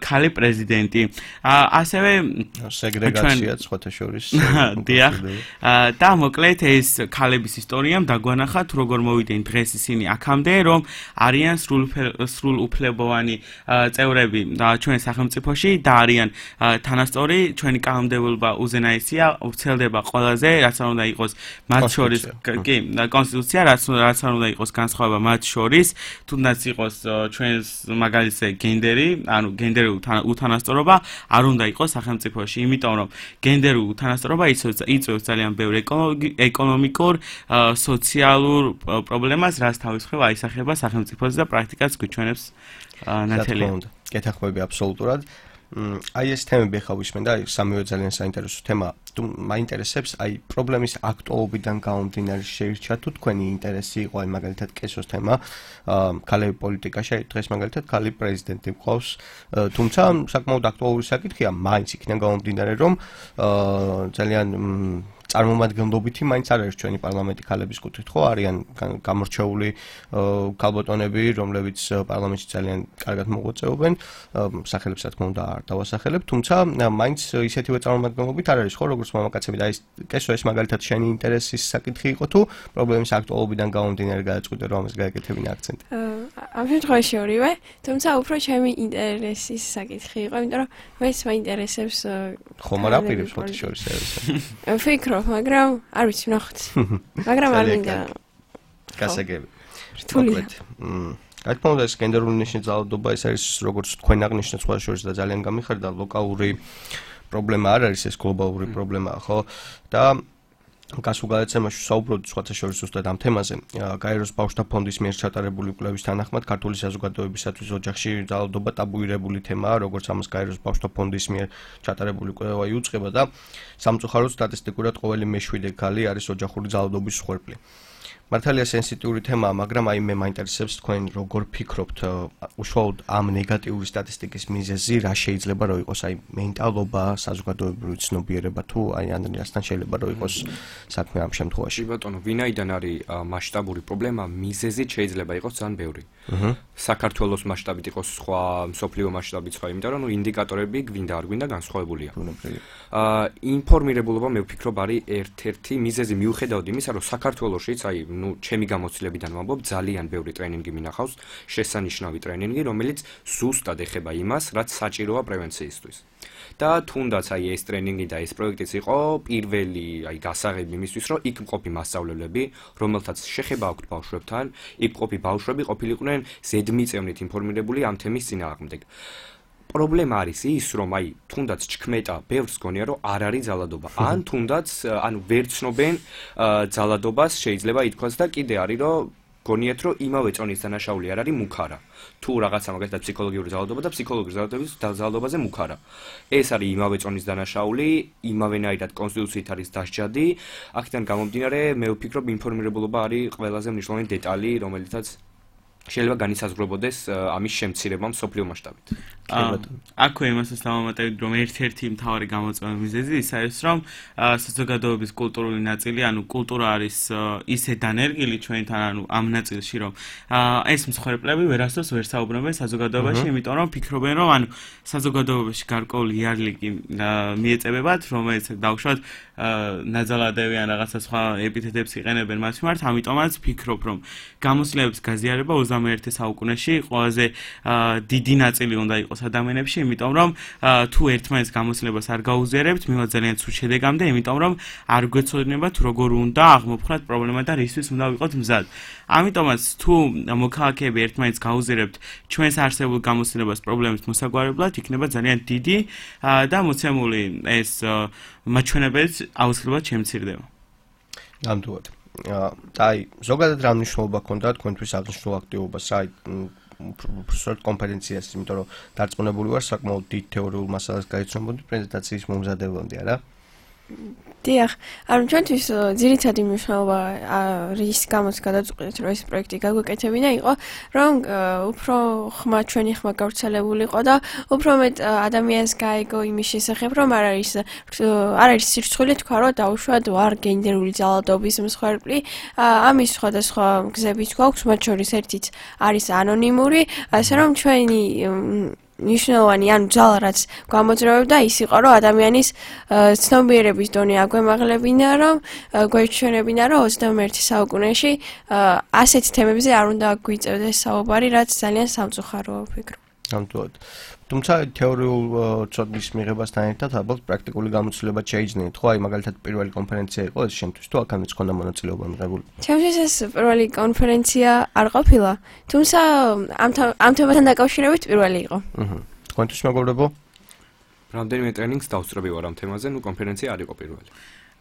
ქალი პრეზიდენტი. ასევე სეგრეგაცია სხვათა შორის. დიახ. და მოკლედ ეს ქალების ისტორიამ დაგვანახა თუ როგორ მოვიდნენ დღეს ისინი აქამდე, რომ არიან სრულ უფლებოვანი წევრები ჩვენ სახელმწიფოში და არიან თანასწორი ჩვენი კანონმდებლობა უზენაესია, ვრცელდება ყველაზე, რაც არ უნდა იყოს მათ შორის კი კონსტიტუცია, რაც რაც არ უნდა იყოს განსხვავება მათ შორის, თუნდაც იყოს ჩვენს მაგალითზე გენდერი, ანუ გენდერული უთანასწორობა არ უნდა იყოს სახელმწიფოში, იმიტომ რომ გენდერული უთანასწორობა იწვევს ძალიან ბევრ ეკონომიკურ, სოციალურ პრობლემას, რაც თავის მხრივ აისახება სახელმწიფოზე და პრაქტიკაც გვიჩვენებს ნათელი. გეთანხმები აბსოლუტურად. აი ეს თემები ხა ვისმენ და სამივე ძალიან საინტერესო თემა. თუ მაინტერესებს აი პრობლემის აქტუალობიდან გამომდინარე შეირჩა თუ თქვენი ინტერესი იყო აი მაგალითად კესოს თემა, ქალები პოლიტიკაში, აი დღეს მაგალითად ქალი პრეზიდენტი მყავს, თუმცა საკმაოდ აქტუალური საკითხია, მაინც იქიდან გამომდინარე რომ ძალიან წარმომადგენლობითი მაინც არ არის ჩვენი პარლამენტი ქალების კუთხით, ხო, არიან გამორჩეული ქალბატონები, რომლებიც პარლამენტში ძალიან კარგად მოღვაწეობენ, სახელებს რა თქმა უნდა არ დავასახელებ, თუმცა მაინც ისეთივე წარმომადგენლობით არ არის, ხო, როგორც მამაკაცები და ეს კესო ეს მაგალითად შენი ინტერესის საკითხი იყო თუ პრობლემის აქტუალობიდან გამომდინარე გადაწყვიტე რომ ამას გაეკეთებინა აქცენტი. ამ შემთხვევაში ორივე, თუმცა უფრო ჩემი ინტერესის საკითხი იყო, იმიტომ რომ მეც მაინტერესებს ხომ არ აპირებს ხოთი შორის ეს. ვფიქრობ, მაგრამ არ ვიცი, ვნახოთ. მაგრამ არ მინდა. გასაგები. რთულია. რა თქმა უნდა, ეს გენდერული ნიშნულობა ეს არის როგორც თქვენ აღნიშნეთ სხვა შორის და ძალიან გამიხარდა ლოკალური პრობლემა არ არის, ეს გლობალური პრობლემაა, ხო? და გასულ გადაცემაში საუბრობთ სხვათა შორის ზუსტად ამ თემაზე. გაეროს ბავშვთა ფონდის მიერ ჩატარებული კვლევის თანახმად, ქართული საზოგადოებისათვის ოჯახში ძალადობა ტაბუირებული თემაა, როგორც ამას გაეროს ბავშვთა ფონდის მიერ ჩატარებული კვლევა იუწყება და სამწუხაროდ სტატისტიკურად ყოველი მეშვიდე ქალი არის ოჯახური ძალადობის მსხვერპლი. მართალია სენსიტიური თემაა, მაგრამ აი მე მაინტერესებს თქვენ როგორ ფიქრობთ უშუალოდ ამ ნეგატიური სტატისტიკის მიზეზი რა შეიძლება რომ იყოს, აი მენტალობა, საზოგადოებრივი ცნობიერება თუ აი ანდრიასთან შეიძლება რომ იყოს საქმე ამ შემთხვევაში. ბატონო, ვინაიდან არის მასშტაბური პრობლემა, მიზეზი შეიძლება იყოს ძალიან ბევრი. საქართველოს მასშტაბით იყოს სხვა, მსოფლიო მასშტაბით სხვა, იმიტომ რომ ინდიკატორები გვინდა არ გვინდა განსხვავებულია. აა ინფორმირებულობა მე ვფიქრობ არის ერთ-ერთი მიზეზი მიუხედავად იმისა, რომ საქართველოშიც აი ნუ ჩემი გამოცდილებიდან ვამბობ, ძალიან ბევრი ტრენინგი მინახავს, შესანიშნავი ტრენინგი, რომელიც ზუსტად ეხება იმას, რაც საჭიროა პრევენციისთვის. და თუნდაც აი ეს ტრენინგი და ეს პროექტიც იყო პირველი აი გასაღები იმისთვის, რომ იქ მყოფი მასწავლებლები, რომელთაც შეხება აქვთ ბავშვებთან, იქ მყოფი ბავშვები ყოფილიყვნენ ზედმიწევნით ინფორმირებული ამ თემის წინააღმდეგ. პრობლემა არის ის, რომ აი თუნდაც ჩქმეტა ბევრს გონია, რომ არ არის ძალადობა. ან თუნდაც ანუ ვერ ცნობენ ძალადობას, შეიძლება ითქვას და კიდე არის, რომ გონიათ, რომ იმავე წონის დანაშაული არ არის მუქარა. თუ რაღაცა მაგალითად ფსიქოლოგიური ძალადობა და ფსიქოლოგიური ძალადობის ძალადობაზე მუქარა. ეს არის იმავე წონის დანაშაული, იმავენაირად კონსტიტუციით არის დასჯადი. აქედან გამომდინარე, მე ვფიქრობ, ინფორმირებულობა არის ყველაზე მნიშვნელოვანი დეტალი, რომელიცაც შეიძლება განისაზღვრებოდეს ამის შემცირება მსოფლიო მასშტაბით. აქვე იმასაც დავამატებთ, რომ ერთ-ერთი მთავარი გამოწვევა მიზეზი ის არის, რომ საზოგადოების კულტურული ნაწილი, ანუ კულტურა არის ისე დანერგილი ჩვენთან, ანუ ამ ნაწილში, რომ ეს მსხვერპლები ვერასდროს ვერ საუბრობენ საზოგადოებაში, იმიტომ რომ ფიქრობენ, რომ ანუ საზოგადოებაში გარკვეული იარლიკი მიეწებებათ, რომელიც დავუშვათ ნაძალადევი ან რაღაცა სხვა ეპითეტებს იყენებენ მათ მიმართ, ამიტომაც ფიქრობ, რომ გამოცდილების გაზიარება ოცდამეერთე საუკუნეში ყველაზე დიდი ნაწილი უნდა იყოს ადამიანებში, იმიტომ რომ თუ ერთმანეთს გამოცდილებას არ გაუზიარებთ, მივა ძალიან ცუდ შედეგამდე, იმიტომ რომ არ გვეცოდინებათ როგორ უნდა აღმოფხვრათ პრობლემა და რისთვის უნდა ვიყოთ მზად. ამიტომაც თუ მოქალაქეები ერთმანეთს გაუზიარებთ ჩვენს არსებულ გამოცდილებას პრობლემის მოსაგვარებლად, იქნება ძალიან დიდი და მოცემული ეს მაჩვენებელიც აუცილებლად შემცირდება. ნამდვილად. აი, ზოგადად რა მნიშვნელობა ჰქონდა თქვენთვის აღნიშნულ აქტივობას, აი, უბრალოდ კონფერენციას, იმიტომ რომ დარწმუნებული ვარ, საკმაოდ დიდ თეორიულ მასალას გაიცნობოდი პრეზენტაციის მომზადებლამდე, არა? დიახ, ანუ ჩვენთვის ძირითადი მნიშვნელობა რის გამოც გადაწყვეტეთ, რომ ეს პროექტი გაგვეკეთებინა იყო, რომ უფრო ხმა ჩვენი ხმა გავრცელებულიყო და უფრო მეტ ადამიანს გაიგო იმის შესახებ, რომ არ არის არ არის სირცხვილი თქვა, რომ დაუშვათ ვარ გენდერული ძალადობის მსხვერპლი. ამის სხვადასხვა გზებიც გვაქვს, მათ შორის ერთიც არის ანონიმური, ასე რომ ჩვენი ნიშნავანი ან ძალა რაც გამოძრავებდა ის იყო რომ ადამიანის ცნობიერების დონე აგვემაღლებინა რომ გვეჩვენებინა რომ ოცდამეერთე საუკუნეში ასეთ თემებზე არ უნდა გვიწევდეს საუბარი რაც ძალიან სამწუხაროა ვფიქრობ. ნამდვილად. თუმცა თეორიულ ცოდნის მიღებასთან ერთად ალბათ პრაქტიკული გამოცდილება შეიძინეთ, ხო? აი მაგალითად პირველი კონფერენცია იყო ეს შენთვის თუ აქამდე ქონდა მონაწილეობა მიღებული? ჩემთვის ეს პირველი კონფერენცია არ ყოფილა, თუმცა ამ ამ თემასთან დაკავშირებით პირველი იყო. აჰა. თქვენთვის მეგობრებო? რამდენიმე ტრენინგს დავსწრები ვარ ამ თემაზე, ნუ კონფერენცია არ იყო პირველი.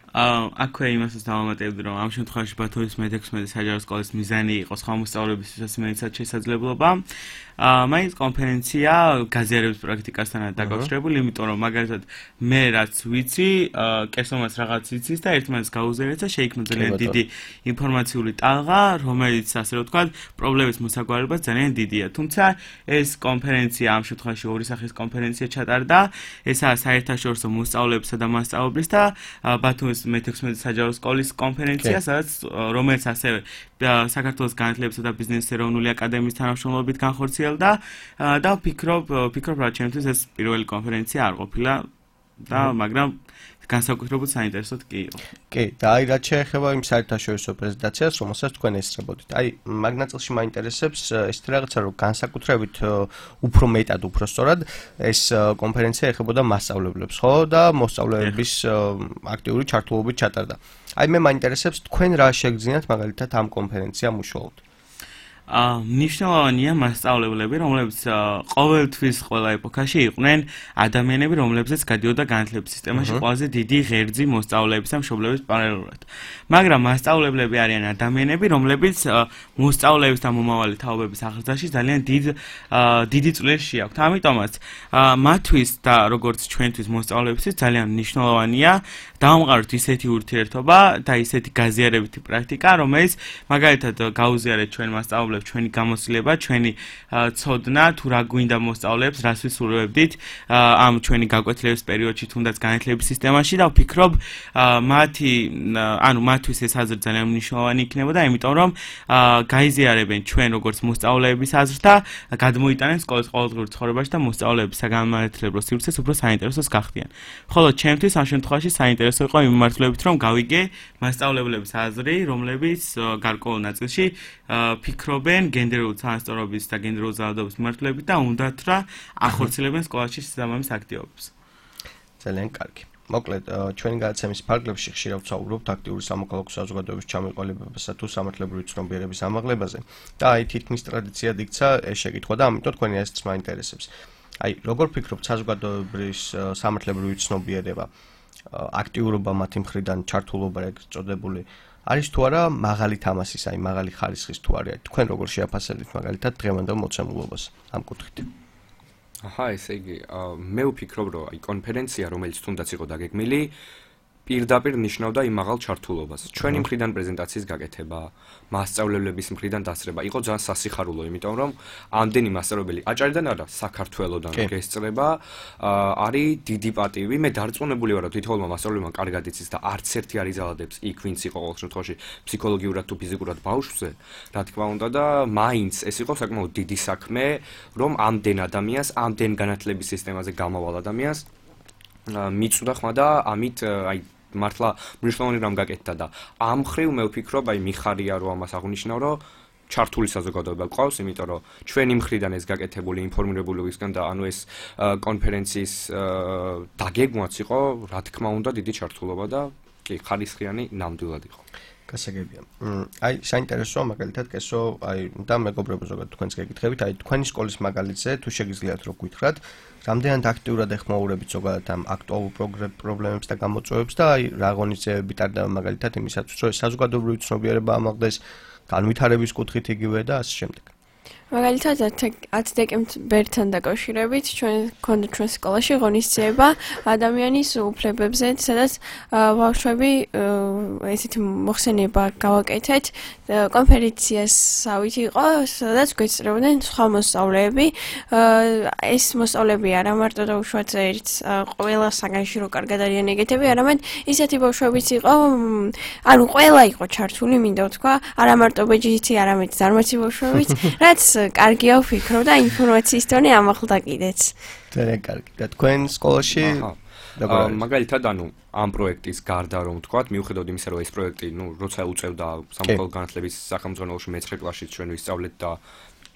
აა აქვე იმასაც დავამატებდი რომ ამ შემთხვევაში ბათუმის მეთექვსმეტე საჯარო სკოლის მიზანი იყო სხვა მოსწავლეებისთვის მეცად შესაძლებლობა. აა მაინც კონფერენცია გაზიარების პრაქტიკასთან დაკავშირებული, იმიტომ რომ მაგალითად მე რაც ვიცი, კესომაც რაღაც იცის და ერთმანეთს გაუზიარეთ და შეიქმნა ძალიან დიდი ინფორმაციული ტალღა, რომელიც ასე რომ ვთქვათ, პრობლემის მოსაგვარებლება ძალიან დიდია. თუმცა ეს კონფერენცია ამ შემთხვევაში ორი სახის კონფერენცია ჩატარდა. ესაა საერთაშორისო მოსწავლეებისა და მასწავლებლის და ბათუმის მეთექვსმეტე საჯარო სკოლის კონფერენცია, სადაც რომელიც ასევე საქართველოს განათლებისა და ბიზნესის ეროვნული აკადემიის თანამშრომლობით განხორციელდა და ვფიქრობ, ვფიქრობ რა ჩემთვის ეს პირველი კონფერენცია არ ყოფილა და მაგრამ განსაკუთრებულად საინტერესოდ კი იყო. კი, და აი რაც შეეხება იმ საერთაშორისო პრეზენტაციას, რომელსაც თქვენ ესწრებოდით. აი მაგ ნაწილში მაინტერესებს ესეთი რაღაცა, რომ განსაკუთრებით უფრო მეტად, უფრო სწორად ეს კონფერენცია ეხებოდა მასწავლებლებს, ხო? და მოსწავლეების აქტიური ჩართულობით ჩატარდა. აი მე მაინტერესებს თქვენ რა შეგძინათ მაგალითად ამ კონფერენციამ უშუალოდ. აა ნიშნავენია მასწავლებლები, რომლებიც ყოველთვის ყველა ეპოქაში იყვნენ ადამიანები, რომლებზეც გადიოდა განათლების სისტემაში ყველაზე დიდი ღერძი მოსწავლეების და მშობლების პარალელურად. მაგრამ მასწავლებლები არიან ადამიანები, რომლებიც მოსწავლეების და მომავალი თაობების აღზრდაში ძალიან დიდ დიდი წვლილი შეაქვთ. ამიტომაც მათთვის და როგორც ჩვენთვის მოსწავლეებისთვის ძალიან მნიშვნელოვანია დავამყაროთ ისეთი ურთიერთობა და ისეთი გაზიარებითი პრაქტიკა, რომელიც მაგალითად გაუზიარეთ ჩვენ მასწავლებლებს ჩვენი გამოცდილება, ჩვენი ცოდნა, თუ რა გვინდა მოსწავლეებს, რას ვისურვებდით ამ ჩვენი გაკვეთილების პერიოდში, თუნდაც განათლების სისტემაში და ვფიქრობ, მათი, ანუ მათთვის ეს აზრი ძალიან მნიშვნელოვანი იქნებოდა, იმიტომ რომ გაიზიარებენ ჩვენ როგორც მოსწავლეების აზრს და გადმოიტანენ სკოლის ყოველდღიურ ცხოვრებაში და მოსწავლეების საგანმანათლებლო სივრცეს უფრო საინტერესოს გახდიან. ხოლო ჩემთვის ამ შემთხვევაში საინტერესო იყო იმ მიმართულებით, რომ გავიგე მასწავლებლების აზრი, რომლებიც გარკვეულ ნაწილში ფიქრობენ გენდერული თანასწორობის და გენდერული ძალადობის მიმართულებით და უნდათ რა ახორციელებენ სკოლაში შესაბამის აქტივობებს. ძალიან კარგი. მოკლედ, ჩვენი გადაცემის ფარგლებში ხშირად ვსაუბრობთ აქტიური სამოქალაქო საზოგადოების ჩამოყალიბებასა თუ სამართლებრივი ცნობიერების ამაღლებაზე და აი თითქმის ტრადიციად იქცა ეს შეკითხვა და ამიტომ თქვენი ესეც მაინტერესებს. აი, როგორ ფიქრობთ საზოგადოების სამართლებრივი ცნობიერება, აქტიურობა მათი მხრიდან, ჩართულობა ეგ წოდებული არის თუ არა მაღალი თამასის, აი მაღალი ხარისხის თუ არა. თქვენ როგორ შეაფასებთ მაგალითად დღევანდელ მოცემულობას ამ კუთხით? აჰა, ესე იგი, მე ვფიქრობ, რომ აი კონფერენცია, რომელიც თუნდაც იყო დაგეგმილი, პირდაპირ ნიშნავდა იმ მაღალ ჩართულობას. ჩვენი მხრიდან პრეზენტაციის გაკეთება, მასწავლებლების მხრიდან დასწრება იყო ძალიან სასიხარულო, იმიტომ რომ ამდენი მასწავლებელი აჭარიდან არა, საქართველოდან გესწრება, არის დიდი პატივი. მე დარწმუნებული ვარ, რომ თითოეულმა მასწავლებელმა კარგად იცის და არც ერთი არ იზალადებს იქ, ვინც იყო ყოველ შემთხვევაში ფსიქოლოგიურად თუ ფიზიკურად ბავშვზე, რა თქმა უნდა და მაინც ეს იყო საკმაოდ დიდი საქმე, რომ ამდენ ადამიანს, ამდენ განათლების სისტემაზე გამავალ ადამიანს მიწვდა ხმა და ამით აი მართლა მნიშვნელოვანი რამ გაკეთდა და ამ ხრივ მე ვფიქრობ, აი მიხარია რომ ამას აღნიშნავ, რომ ჩართული საზოგადოება ყავს, იმიტომ რომ ჩვენი მხრიდან ეს გაკეთებული ინფორმირებულობისგან და ანუ ეს კონფერენციის დაგეგმვაც იყო, რა თქმა უნდა, დიდი ჩართულობა და კი, ხარისხიანი ნამდვილად იყო. გასაგებია. აი, საინტერესოა მაგალითად კესო, აი და მეგობრებო ზოგადად თქვენს გეკითხებით, აი თქვენი სკოლის მაგალითზე თუ შეგიძლიათ რომ გითხრათ, რამდენად აქტიურად ეხმაურებით ზოგადად ამ აქტუალურ პრობლემებს და გამოწვევებს და აი რა ღონისძიებები ტარდება მაგალითად იმისათვის, რომ საზოგადოებრივი ცნობიერება ამაღლდეს, განვითარების კუთხით იგივე და ასე შემდეგ. მაგალითად ათ დეკემბერთან დაკავშირებით ჩვენ გქონდა ჩვენ სკოლაში ღონისძიება ადამიანის უფლებებზე, სადაც ბავშვები ესეთი მოხსენება გავაკეთეთ კონფერენციასავით იყო, სადაც გვეწრებოდნენ სხვა მოსწავლეები. ეს მოსწავლეები არა მარტო და უშუალოდ ერთ ყველა საგანში რო კარგად არიან ეგეთები, არამედ ისეთი ბავშვებიც იყო, ანუ ყველა იყო ჩართული, მინდა ვთქვა, არა მარტო ბეჯითი, არამედ ზარმაცი ბავშვებიც, რაც კარგია ვფიქრობ და ინფორმაციის დონე ამახლდა კიდეც. ძალიან კარგი. და თქვენ სკოლაში მაგალითად ანუ ამ პროექტის გარდა რომ ვთქვათ, მიუხედავად იმისა, რომ ეს პროექტი, ნუ როცა უწევდა სამოქალაქო განათლების სახელმძღვანელოში მეცხრე კლასში ჩვენ ვისწავლეთ და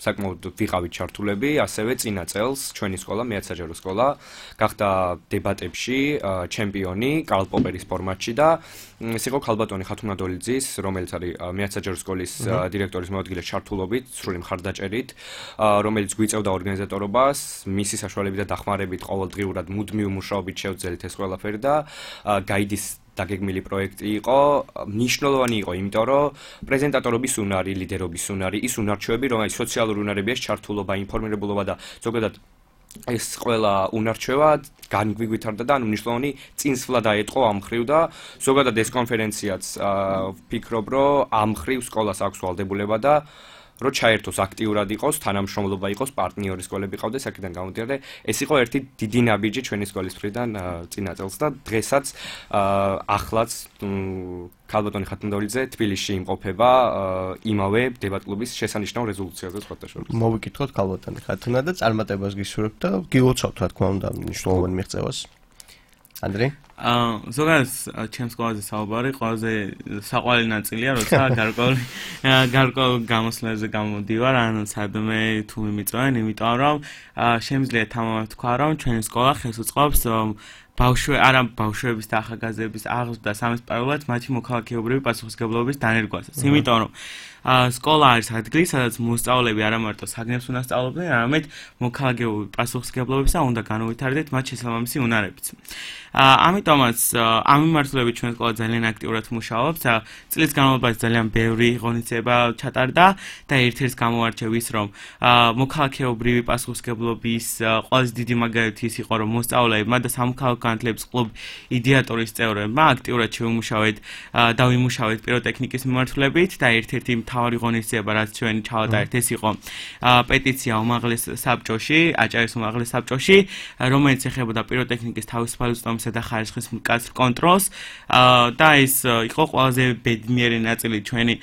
საკმაოდ ვიყავით ჩართულები, ასევე წინა წელს ჩვენი სკოლა, მეათსაჯარო სკოლა, გახდა დებატებში ჩემპიონი კარლ პოპერის ფორმატში და ეს იყო ქალბატონი ხათუნადოლიძის, რომელიც არის მეათსაჯარო სკოლის დირექტორის მოადგილე ჩართულობით, სრული მხარდაჭერით, რომელიც გვიწევდა ორგანიზატორობას, მისი საშუალებით და დახმარებით ყოველდღიურად მუდმივ მუშაობით შევძელით ეს ყველაფერი და გაიდის დაგეგმილი პროექტი იყო, მნიშვნელოვანი იყო, იმიტომ რომ პრეზენტატორობის უნარი, ლიდერობის უნარი, ის უნარჩვები, რომელიც სოციალური უნარებია, ჩართულობა, ინფორმირებულობა და ზოგადად ეს ყველა უნარჩვება განგვიგვითარდა და ანუ მნიშვნელოვანი წინსვლა დაეტყო ამ მხრივ და ზოგადად ეს კონფერენციაც ვფიქრობ, რომ ამ მხრივ სკოლას აქვს ვალდებულება და რო ჩაერთოს აქტიურად იყოს, თანამშრომლობა იყოს, პარტნიორი სკოლები ყავდეს, აქედან გამოდიოდა, ეს იყო ერთი დიდი ნაბიჯი ჩვენი სკოლის მხრიდან წინა წელს და დღესაც ახლაც ქალბატონი ხათუნადოლიძე თბილისში იმყოფება იმავე დებატ-კლუბის შესანიშნავ რეზოლუციაზე სხვათა შორის. მოვიკითხოთ ქალბატონი ხათუნა და წარმატებას გისურვებთ და გილოცავთ რა თქმა უნდა მნიშვნელოვანი მიღწევას. ანდრე? აა ზოგადად ჩემს სკოლაზე საუბარი ყველაზე საყვარელი ნაწილია, როცა გარკვეული გარკვეულ გამოსვლებზე გამოდივარ, ანუ სადმე თუ მიმიწვენ, იმიტომ რომ შემიძლია თამამად თქვა, რომ ჩვენი სკოლა ხელს უწყობს ბავშვი არა ბავშვების და ახალგაზრდების აღზრდა სამესპარულად მათი მოქალაქეობრივი პასუხისმგებლობის დანერგვასაც. იმიტომ რომ სკოლა არის ადგილი, სადაც მოსწავლეები არა მარტო საგნებს უნდა სწავლობდნენ, არამედ მოქალაქეობრივი პასუხისმგებლობისა უნდა განუვითარდეთ მათ შესაბამისი უნარებიც. ამიტომაც ამ მიმართულებით ჩვენ სკოლა ძალიან აქტიურად მუშაობს. წლის განმავლობაში ძალიან ბევრი ღონისძიება ჩატარდა და ერთ-ერთ გამოვარჩევ ის, რომ მოქალაქეობრივი პასუხისმგებლობის ყველაზე დიდი მაგალითი ის იყო, რომ მოსწავლეებმა და სამოქალაქო განათლების კლუბ იდეატორის წევრებმა აქტიურად შევიმუშავეთ და ვიმუშავეთ პიროტექნიკის მიმართულებით და ერთ-ერთი მთავარი ღონისძიება, რაც ჩვენ ჩავატარეთ, ეს იყო პეტიცია უმაღლეს საბჭოში, აჭარის უმაღლეს საბჭოში, რომელიც ეხებოდა პიროტექნიკის თავისუფალი უწყლომისა და ხარისხის მკაცრ კონტროლს და ეს იყო ყველაზე ბედნიერი ნაწილი ჩვენი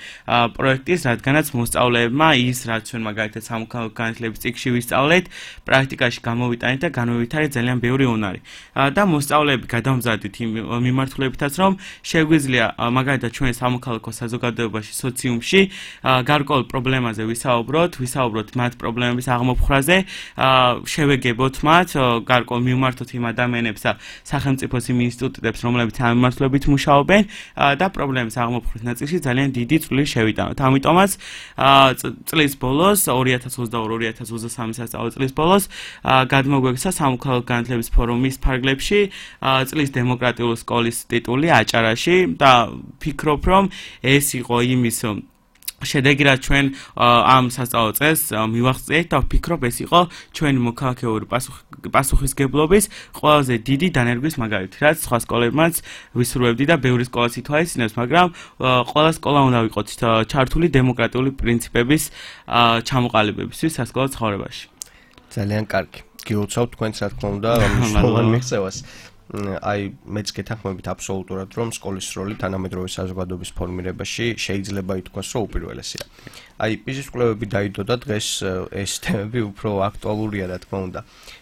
პროექტის, რადგანაც მოსწავლეებმა ის, რაც ჩვენ მაგალითად სამოქალაქო განათლების წიგნში ვისწავლეთ, პრაქტიკაში გამოვიტანეთ და განვივითარეთ ძალიან ბევრი უნარი. და მოსწავლეები გადამზადეთ იმ მიმართულებითაც, რომ შეგვიძლია მაგალითად ჩვენ სამოქალაქო საზოგადოებაში, სოციუმში გარკვეულ პრობლემაზე ვისაუბროთ, ვისაუბროთ მათ პრობლემების აღმოფხვრაზე, შევეგებოთ მათ, გარკვეულ მიმართოთ იმ ადამიანებს და სახელმწიფოს იმ ინსტიტუტებს, რომლებიც ამ მიმართულებით მუშაობენ და პრობლემის აღმოფხვრის ნაწილში ძალიან დიდი წვლილი შევიტანოთ. ამიტომაც წლის ბოლოს ორი ათას ოცდაორი ორი ათას ოცდასამი სასწავლო წლის ბოლოს გადმოგვექცა სამოქალაქო განათლების ფორუმის ფარგლებში წლის დემოკრატიული სკოლის ტიტული აჭარაში და ვფიქრობ, რომ ეს იყო იმის შედეგი, რაც ჩვენ ამ სასწავლო წელს მივახციეთ და ვფიქრობ, ეს იყო ჩვენი მოქალაქეობრივი პასუხისმგებლობის ყველაზე დიდი დანერგვის მაგალითი, რაც სხვა სკოლებმაც ვისურვებდი და ბევრი სკოლაც ითვალისწინებს, მაგრამ ყველა სკოლა უნდა ვიყოთ ჩართული დემოკრატიული პრინციპების ჩამოყალიბებისთვის სასკოლო ცხოვრებაში. ძალიან კარგი. გილოცავთ თქვენც რა თქმა უნდა მნიშვნელოვან მიღწევას. აი მეც გეთანხმებით აბსოლუტურად, რომ სკოლის როლი თანამედროვე საზოგადოების ფორმირებაში შეიძლება ითქვას, რომ უპირველესია. აი პიზის კვლევები დაიდო და დღეს ეს თემები უფრო აქტუალურია რა თქმა უნდა.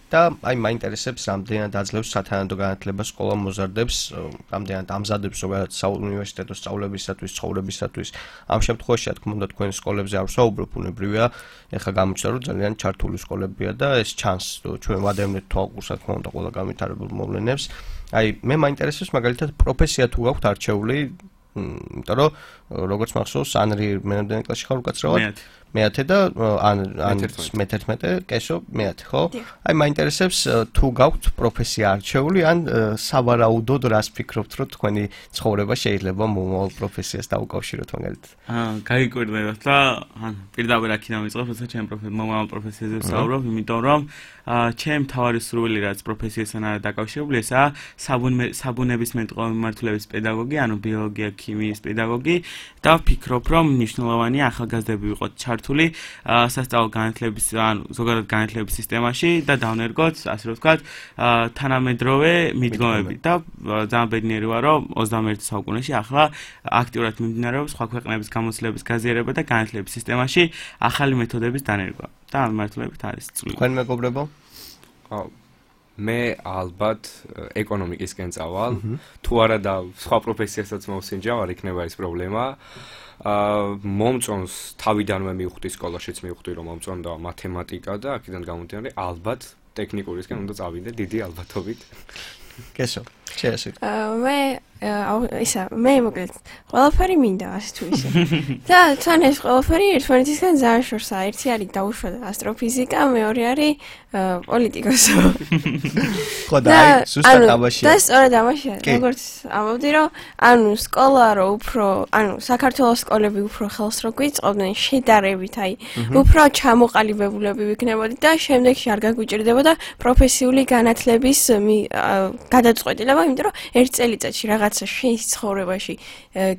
და აი მაინტერესებს, რამდენად აძლევს სათანადო განათლება სკოლა მოზარდებს, რამდენად ამზადებს ზოგადად საუნივერსიტეტო სწავლებისათვის, ცხოვრებისათვის. ამ შემთხვევაში რა თქმა უნდა თქვენ სკოლებზე არ ვსაუბრობ, უნებრია, ეხლა გამოჩნდა რომ ძალიან ჩართული სკოლებია და ეს ჩანს, ჩვენ ვადევნეთ თვალყურს რა თქმა უნდა ყველა განვითარებულ მოვლენებს. აი მე მაინტერესებს მაგალითად პროფესია თუ გაქვთ არჩეული, იმიტომ რომ როგორც მახსოვს, ანრი მენამდე კლასში ხარ უკაცრავად? მეათე და ან ან მეთერთმეტე, კესო, მეათე, ხო? აი მაინტერესებს თუ გაქვთ პროფესია არჩეული ან სავარაუდოდ რას ფიქრობთ, რომ თქვენი ცხოვრება შეიძლება მომავალ პროფესიას დაუკავშიროთ მაგალითად? აა, გაიკვირდებათ და ან პირდაპირ აქედან ვიწყებ, როცა ჩემ მომავალ პროფესიაზე ვსაუბრობ, იმიტომ რომ ჩემ თავარი სურვილი რაც პროფესიასთან არის დაკავშირებული, ესაა საბუნებისმეტყველო მიმართულების პედაგოგი, ანუ ბიოლოგია, ქიმიის პედაგოგი და ვფიქრობ, რომ მნიშვნელოვანია ახალგაზრდები ვიყოთ ჩართული სასწავლო განათლების, ანუ ზოგადად განათლების სისტემაში და დავნერგოთ, ასე რომ ვთქვათ, თანამედროვე მიდგომები და ძალიან ბედნიერი ვარ, რომ ოცდამეერთე საუკუნეში ახლა აქტიურად მიმდინარეობს სხვა ქვეყნების გამოცდილების გაზიარება და განათლების სისტემაში ახალი მეთოდების დანერგვა. და ამ მიმართულებით არის წვლილი. თქვენ მეგობრებო? მე ალბათ ეკონომიკისკენ წავალ. თუ არა და სხვა პროფესიასაც მოვსინჯავ, არ იქნება ეს პრობლემა. აა მომწონს თავიდანვე მივხვდი სკოლაშიც მივხვდი რომ მომწონდა მათემატიკა და აქედან გამომდინარე ალბათ ტექნიკურისკენ უნდა წავიდე დიდი ალბათობით. კესო, შეასე. აა მე ისა მე მოკლედ ყველაფერი მინდა ასე თუ ისე. და თან ეს ყველაფერი ერთმანეთისგან ძალიან შორსაა. ერთი არის დაუშვა ასტროფიზიკა, მეორე არის პოლიტიკოსი. ხო და აი ზუსტად ამაში. და სწორედ ამაში, როგორც ამბობდი რომ ანუ სკოლა რო უფრო, ანუ საქართველოს სკოლები უფრო ხელს რო გვიწყობდნენ შედარებით, აი უფრო ჩამოყალიბებულები ვიქნებოდი და შემდეგში არ გაგვიჭირდებოდა პროფესიული განათლების გადაწყვეტილება, იმიტომ რომ ერთ წელიწადში რაღაცა შენ ცხოვრებაში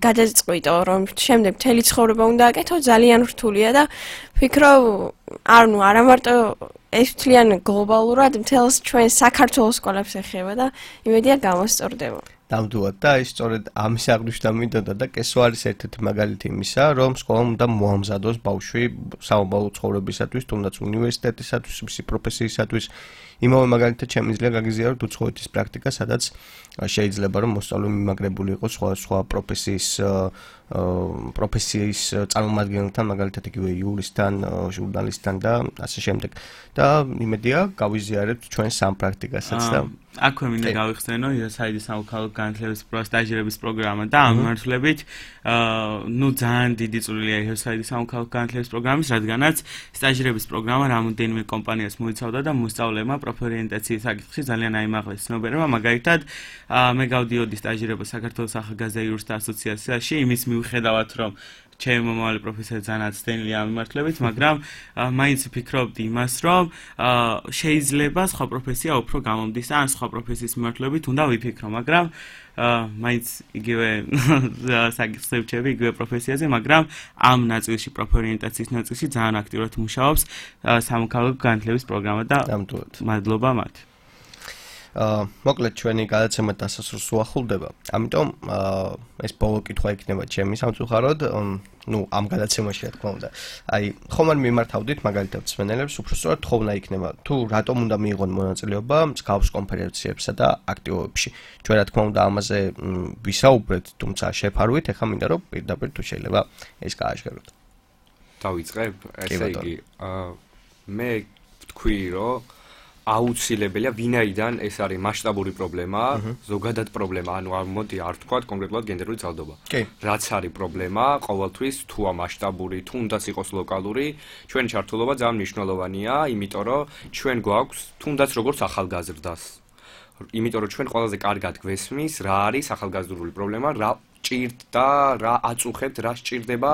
გადაწყვიტო, რომ შემდეგ მთელი ცხოვრება უნდა აკეთო, ძალიან რთულია და ვფიქრობ, ანუ არა მარტო ეს თლიან გლობალურად მთელს ჩვენ საქართველოს სკოლებს ეხება და იმედია გამოსწორდება. ნამდვილად და ის სწორედ ამის აღნიშვნა მინდოდა და კესო არის ერთ-ერთი მაგალითი იმისა, რომ სკოლამ უნდა მოამზადოს ბავშვი საომალო ცხოვრებისათვის, თუნდაც უნივერსიტეტისათვის, მისი პროფესიისათვის. იმავე მაგალითად შემიძლია გაგიზიაროთ უცხოეთის პრაქტიკა, სადაც შეიძლება რომ მოსწავლე მიმაგრებული იყოს სხვა სხვა პროფესიის პროფესიის წარმომადგენელთან, მაგალითად იგივე იურისტთან, ჟურნალისტთან და ასე შემდეგ. და იმედია გავიზიარებთ ჩვენ სამ პრაქტიკასაც და აქვე მინდა გავიხსენო იოსაიდის სამოქალაქო განათლების სტაჟირების პროგრამა და ამ მიმართულებით ნუ ძალიან დიდი წვლილია იოსაიდის სამოქალაქო განათლების პროგრამის, რადგანაც სტაჟირების პროგრამა რამოდენიმე კომპანიას მოიცავდა და მოსწავლეებმა პროფორიენტაციის საკითხში ძალიან აიმაღლეს ცნობიერება. მაგალითად, მე გავდიოდი სტაჟირება საქართველოს ახალგაზრდა იურისტთა ასოციაციაში, იმის მიუხედავად, რომ ჩემი მომავალი პროფესია ძალიან ცდენილია ამ მიმართულებით, მაგრამ მაინც ვფიქრობდი იმას, რომ შეიძლება სხვა პროფესია უფრო გამომდის და ან სხვა პროფესიის მიმართულებით უნდა ვიფიქრო, მაგრამ მაინც იგივე საკითხს ვჩები იგივე პროფესიაზე, მაგრამ ამ ნაწილში პროფორიენტაციის ნაწილში ძალიან აქტიურად მუშაობს სამოქალაქო განათლების პროგრამა და მადლობა მათ. აა მოკლედ ჩვენი გადაცემა დასასრულს უახლოვდება. ამიტომ ეს ბოლო კითხვა იქნება ჩემი სამწუხაროდ, ну, ამ გადაცემაში რა თქმა უნდა. აი, ხომ არ მიმართავდით მაგალითად მსმენელებს, უფრო სწორად თხოვნა იქნება, თუ რატომ უნდა მიიღონ მონაწილეობა მსგავს კონფერენციებსა და აქტივობებში. ჩვენ რა თქმა უნდა ამაზე ვისაუბრეთ, თუმცა შეფარვით, ეხლა მინდა რომ პირდაპირ თუ შეიძლება ეს გააშკაროთ. დავიწყებ, ესე იგი, აა მე ვთქვი, რომ აუცილებელია ვინაიდან ეს არის მასშტაბური პრობლემა, ზოგადად პრობლემა, ანუ მოდი არ ვთქვათ კონკრეტულად გენდერული ძალადობა. რაც არის პრობლემა, ყოველთვის თუა მასშტაბური, თუნდაც იყოს ლოკალური, ჩვენი ჩართულობა ძალიან მნიშვნელოვანია, იმიტომ რომ ჩვენ გვაქვს თუნდაც როგორც ახალგაზრდას. იმიტომ რომ ჩვენ ყველაზე კარგად გვესმის, რა არის ახალგაზრდული პრობლემა, რა ჭირდა, რა აწუხებთ, რა სჭირდება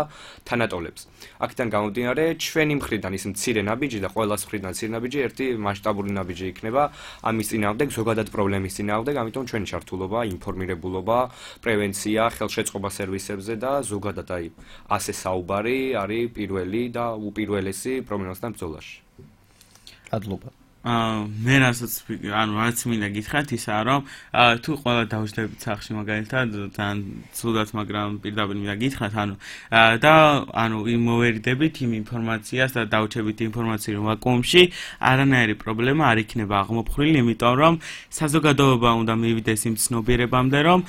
თანატოლებს. აქედან გამომდინარე, ჩვენი მხრიდან ის მცირე ნაბიჯი და ყველას მხრიდან მცირე ნაბიჯი ერთი მასშტაბური ნაბიჯი იქნება ამის წინააღმდეგ, ზოგადად პრობლემის წინააღმდეგ, ამიტომ ჩვენი ჩართულობა, ინფორმირებულობა, პრევენცია, ხელშეწყობა სერვისებზე და ზოგადად აი ასე საუბარი არის პირველი და უპირველესი პრობლემასთან ბრძოლაში. მადლობა. მე რასაც ანუ რაც მინდა გითხრათ ისაა რომ თუ ყველა დავშლებით სახში მაგალითად თან ცუდად მაგრამ პირდაპირ მინდა გითხრათ ანუ და ანუ იმოვერიდებით იმ ინფორმაციას და დავჩებით ინფორმაციას რომ ვაკუუმში არანაირი პრობლემა არ იქნება აღმოფხვრილი იმიტომ რომ საზოგადოება უნდა მივიდეს იმ ცნობიერებამდე რომ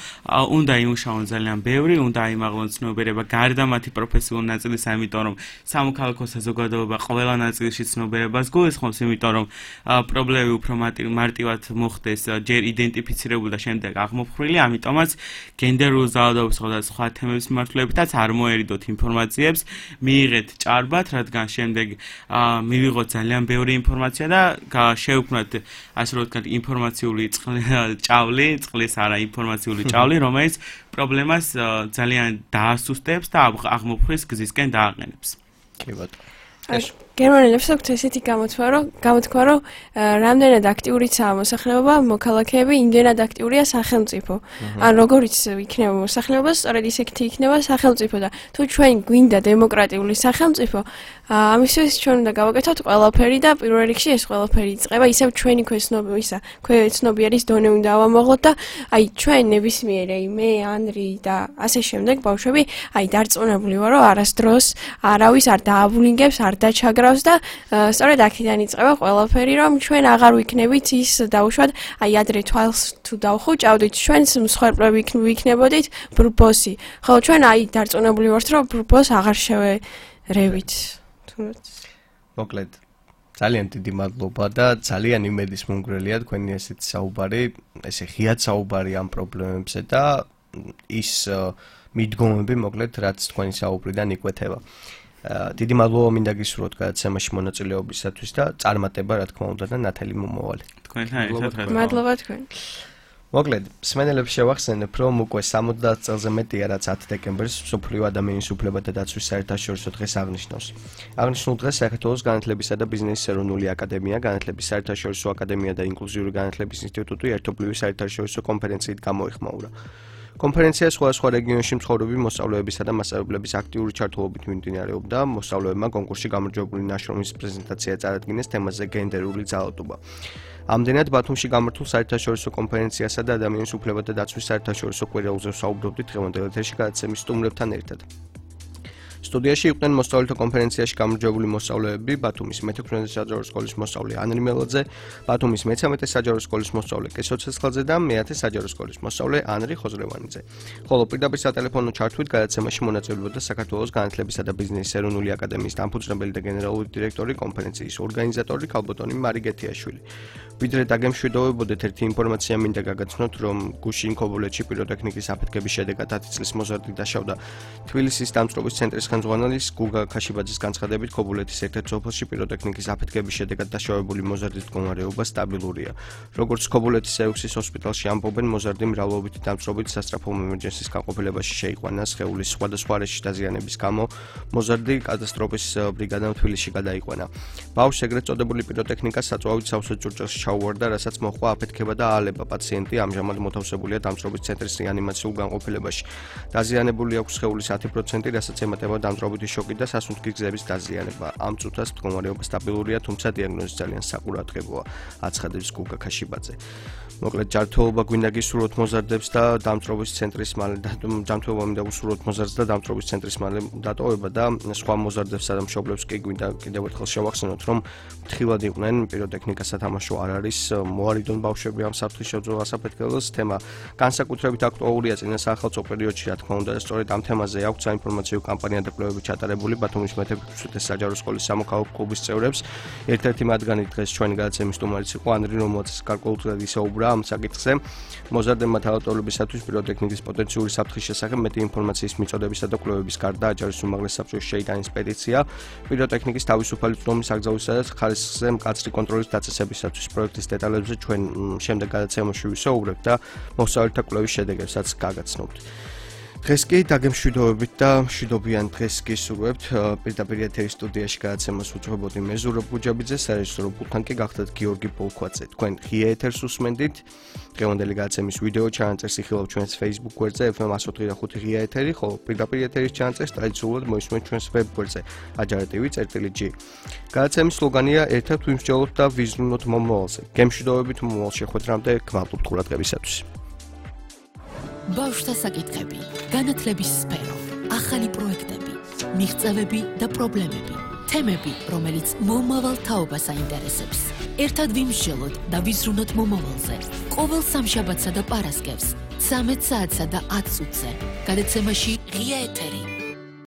უნდა იმუშაონ ძალიან ბევრი უნდა აიმაღლონ ცნობიერება გარდა მათი პროფესიული ნაწილისა იმიტომ რომ სამოქალაქო საზოგადოება ყველა ნაწილში ცნობიერებას გულისხმობს იმიტომ რომ პრობლემები უფრო მარტივად მოხდეს, ჯერ იდენტიფიცირებული და შემდეგ აღმოფხრილი, ამიტომაც გენდერულ ძალადობის და სხვა თემების მიმართულებითაც არ მოერიდოთ ინფორმაციებს, მიიღეთ ჭარბად, რადგან შემდეგ მივიღოთ ძალიან ბევრი ინფორმაცია და შევქმნათ ასე რომ ვთქვათ ინფორმაციული ჭავლი, წყლის არა ინფორმაციული ჭავლი, რომელიც პრობლემას ძალიან დაასუსტებს და აღმოფხრის გზისკენ დააყენებს. კი ბატონო. გერმანელებს აქვს ესეთი გამოთქვა, რომ გამოთქვა, რომ რამდენად აქტიურიცაა მოსახლეობა, მოქალაქეები, იმდენად აქტიურია სახელმწიფო. ან როგორიც იქნება მოსახლეობა, სწორედ ისეთი იქნება სახელმწიფო და თუ ჩვენ გვინდა დემოკრატიული სახელმწიფო, ამისთვის ჩვენ უნდა გავაკეთოთ ყველაფერი და პირველ რიგში ეს ყველაფერი იწყება ისევ ჩვენი ქვეცნობისა, ქვეცნობიერის დონე უნდა ავამოღოთ და აი ჩვენ ნებისმიერ აი მე, ანრი და ასე შემდეგ ბავშვები აი დარწმუნებული ვარ, რომ არასდროს არავის არ დააბულინგებს, არ დაჩაგრავს და სწორედ აქედან იწყება ყველაფერი, რომ ჩვენ აღარ ვიქნებით ის დაუშვათ, აი ადრე თვალს თუ დავხუჭავდით, ჩვენს მსხვერპლები ვიქნებოდით ბრბოსი. ხო, ჩვენ აი დარწმუნებული ვართ, რომ ბრბოს აღარ შევერევით. მოკლედ, ძალიან დიდი მადლობა და ძალიან იმედის მომგვრელია თქვენი ესეთი საუბარი, ესე ღიად საუბარი ამ პრობლემებზე და ის მიდგომები, მოკლედ, რაც თქვენი საუბრიდან იკვეთება. დიდი მადლობა მინდა გისურვოთ გადაცემაში მონაწილეობისათვის და წარმატება რა თქმა უნდა და ნათელი მომავალი. თქვენთან ერთად მადლობა თქვენ. მოკლედ, მსმენელებს შევახსენებ, რომ უკვე სამოცდაათ წელზე მეტია, რაც ათი დეკემბერს მსოფლიო ადამიანის უფლებათა დაცვის საერთაშორისო დღეს აღნიშნავს. აღნიშნულ დღეს საქართველოს განათლებისა და ბიზნესის ეროვნული აკადემია, განათლების საერთაშორისო აკადემია და ინკლუზიური განათლების ინსტიტუტი ერთობლივი საერთაშორისო კონფერენციით გამოიხმაურა. კონფერენცია სხვადასხვა რეგიონში მცხოვრები მოსწავლეებისა და მასწავლებლების აქტიური ჩართულობით მიმდინარეობდა. მოსწავლეებმა კონკურსში გამარჯვებული ნაშრომის პრეზენტაცია წარადგინეს თემაზე გენდერული ძალადობა. ამდენად ბათუმში გამართულ საერთაშორისო კონფერენციასა და ადამიანის უფლებათა დაცვის საერთაშორისო კვირაულზე ვსაუბრობდით დღევანდელ ეთერში გადაცემის სტუმრებთან ერთად. სტუდიაში იყვნენ მოსწავლეთა კონფერენციაში გამარჯვებული მოსწავლეები, ბათუმის მეთექვსმეტე საჯარო სკოლის მოსწავლე ანრი მელაძე, ბათუმის მეცამეტე საჯარო სკოლის მოსწავლე კესო ცეცხლაძე და მეათე საჯარო სკოლის მოსწავლე ანრი ხოზრევანიძე. ხოლო პირდაპირ სატელეფონო ჩართვით გადაცემაში მონაწილეობდა საქართველოს განათლებისა და ბიზნესის ეროვნული აკადემიის დამფუძნებელი და გენერალური დირექტორი, კონფერენციის ორგანიზატორი ქალბატონი მარი გეთიაშვილი. ვიდრე დაგემშვიდობებოდეთ, ერთი ინფორმაცია მინდა გაგაცნოთ, რომ გუშინ ქობულეთში პიროტექნიკის აფეთქების შედეგად ათი წლის მოზარდი დაშავდა. თბილისის დამწყობის ცენტრის ხელმძღვანელის გუგა ქაშიბაძის განცხადებით, ქობულეთის ერთ-ერთ სოფელში პიროტექნიკის აფეთქების შედეგად დაშავებული მოზარდის მდგომარეობა სტაბილურია. როგორც ქობულეთის ექვსის ჰოსპიტალში ამბობენ, მოზარდი მრავლობითი დამწყობით სასწრაფო ემერჯენსის განყოფილებაში შეიყვანა სხეულის სხვადასხვა არეში დაზიანების გამო. მოზარდი კატასტროფის ბრიგადამ თბილისში გადაიყვანა. ბავშვს ეგრეთ წოდებული პიროტექნიკა საწვავით სავსე ჭურჭელში ჩაუვარდა, რასაც მოჰყვა აფეთქება და აალება. პაციენტი ამჟამად მოთავსებულია დამწყობის ცენტრის რეანიმაციულ განყოფილებაში. დაზიანებული აქვს სხეულის ათი პროცენტი, რასაც ემატება დამწყობითი შოკი და სასუნთქი გზების დაზიანება. ამ წუთას მდგომარეობა სტაბილურია, თუმცა დიაგნოზი ძალიან საყურადღებოა, აცხადებს გუგა ქაშიბაძე. მოკლედ, ჯანმრთელობა გვინდა გისურვოთ მოზარდებს და დამწყობის ცენტრის მალე ჯანმრთელობა მინდა გისურვოთ მოზარდს და დამწყობის ცენტრის მალე დატოვება და სხვა მოზარდებსა და მშობლებს კი გვინდა კიდევ ერთხელ შევახსენოთ, რომ ფრთხილად იყვნენ, პიროტექნიკას სათამაშო არ არის, მოარიდონ ბავშვები ამ საფრთხის შეძლებას აფეთქებას. თემა განსაკუთრებით აქტუალურია წინა სახელმწიფო პერიოდში, რა თქმა უნდა, სწორედ ამ თემაზე აქვს საინფორმაციო კამპანია და კვლევები ჩატარებული ბათუმის მეთექვსმეტე საჯარო სკოლის სამოქალაქო კლუბის წევრებს. ერთ-ერთი მათგანი დღეს ჩვენი გადაცემის სტუმარიც იყო ანრი, რომელიც გარკვეულწილად ისაუბრა ამ საკითხზე. მოზარდებმა თავდატოლებისათვის პიროტექნიკის პოტენციური საფრთხის შესახებ მეტი ინფორმაციის მიწოდებისა და კვლევების გარდა აჯარის უმაღლეს საბჭოში შეიტანეს პეტიცია პიროტექნიკის თავისუფალი წვდომის აკრძალვისა და ხარისხზე მკაცრი კონტროლის დაწესებისათვის. პროექტის დეტალებზე ჩვენ შემდეგ გადაცემაში ვისაუბრებთ და მოსწავლეთა კვლევის შედეგებსაც გაგაცნობთ. დღეს კი დაგემშვიდობებით და მშვიდობიან დღეს გისურვებთ. პირდაპირ ეთერის სტუდიაში გადაცემას უძღვებოდი მე ზურაბ გუჯაბიძე, სარეჟისორო პულტთან კი გახდათ გიორგი ბოლქვაძე. თქვენ ღია ეთერს უსმენდით. დღევანდელი გადაცემის ვიდეო ჩანაწერს იხილავთ ჩვენს Facebook გვერდზე ეფ ემ εκατო ოთხი და ხუთი ღია ეთერი, ხოლო პირდაპირ ეთერის ჩანაწერს ტრადიციულად მოისმენთ ჩვენს ვებ გვერდზე აჯარა ტივი წერტილი ჯი. გადაცემის სლოგანია ერთად ვიმსჯელოთ და ვიზრუნოთ მომავალზე. გემშვიდობებით მომავალ შეხვედრამდე, გმადლობთ ყურადღებისათვის. ბავშვთა საკითხები, განათლების სფერო, ახალი პროექტები, მიღწევები და პრობლემები, თემები, რომელიც მომავალ თაობას აინტერესებს. ერთად ვიმსჯელოთ და ვიზრუნოთ მომავალზე. ყოველ სამშაბათსა და პარასკევს, ცამეტ საათსა და ათ წუთზე. გადაცემაში ღია ეთერი.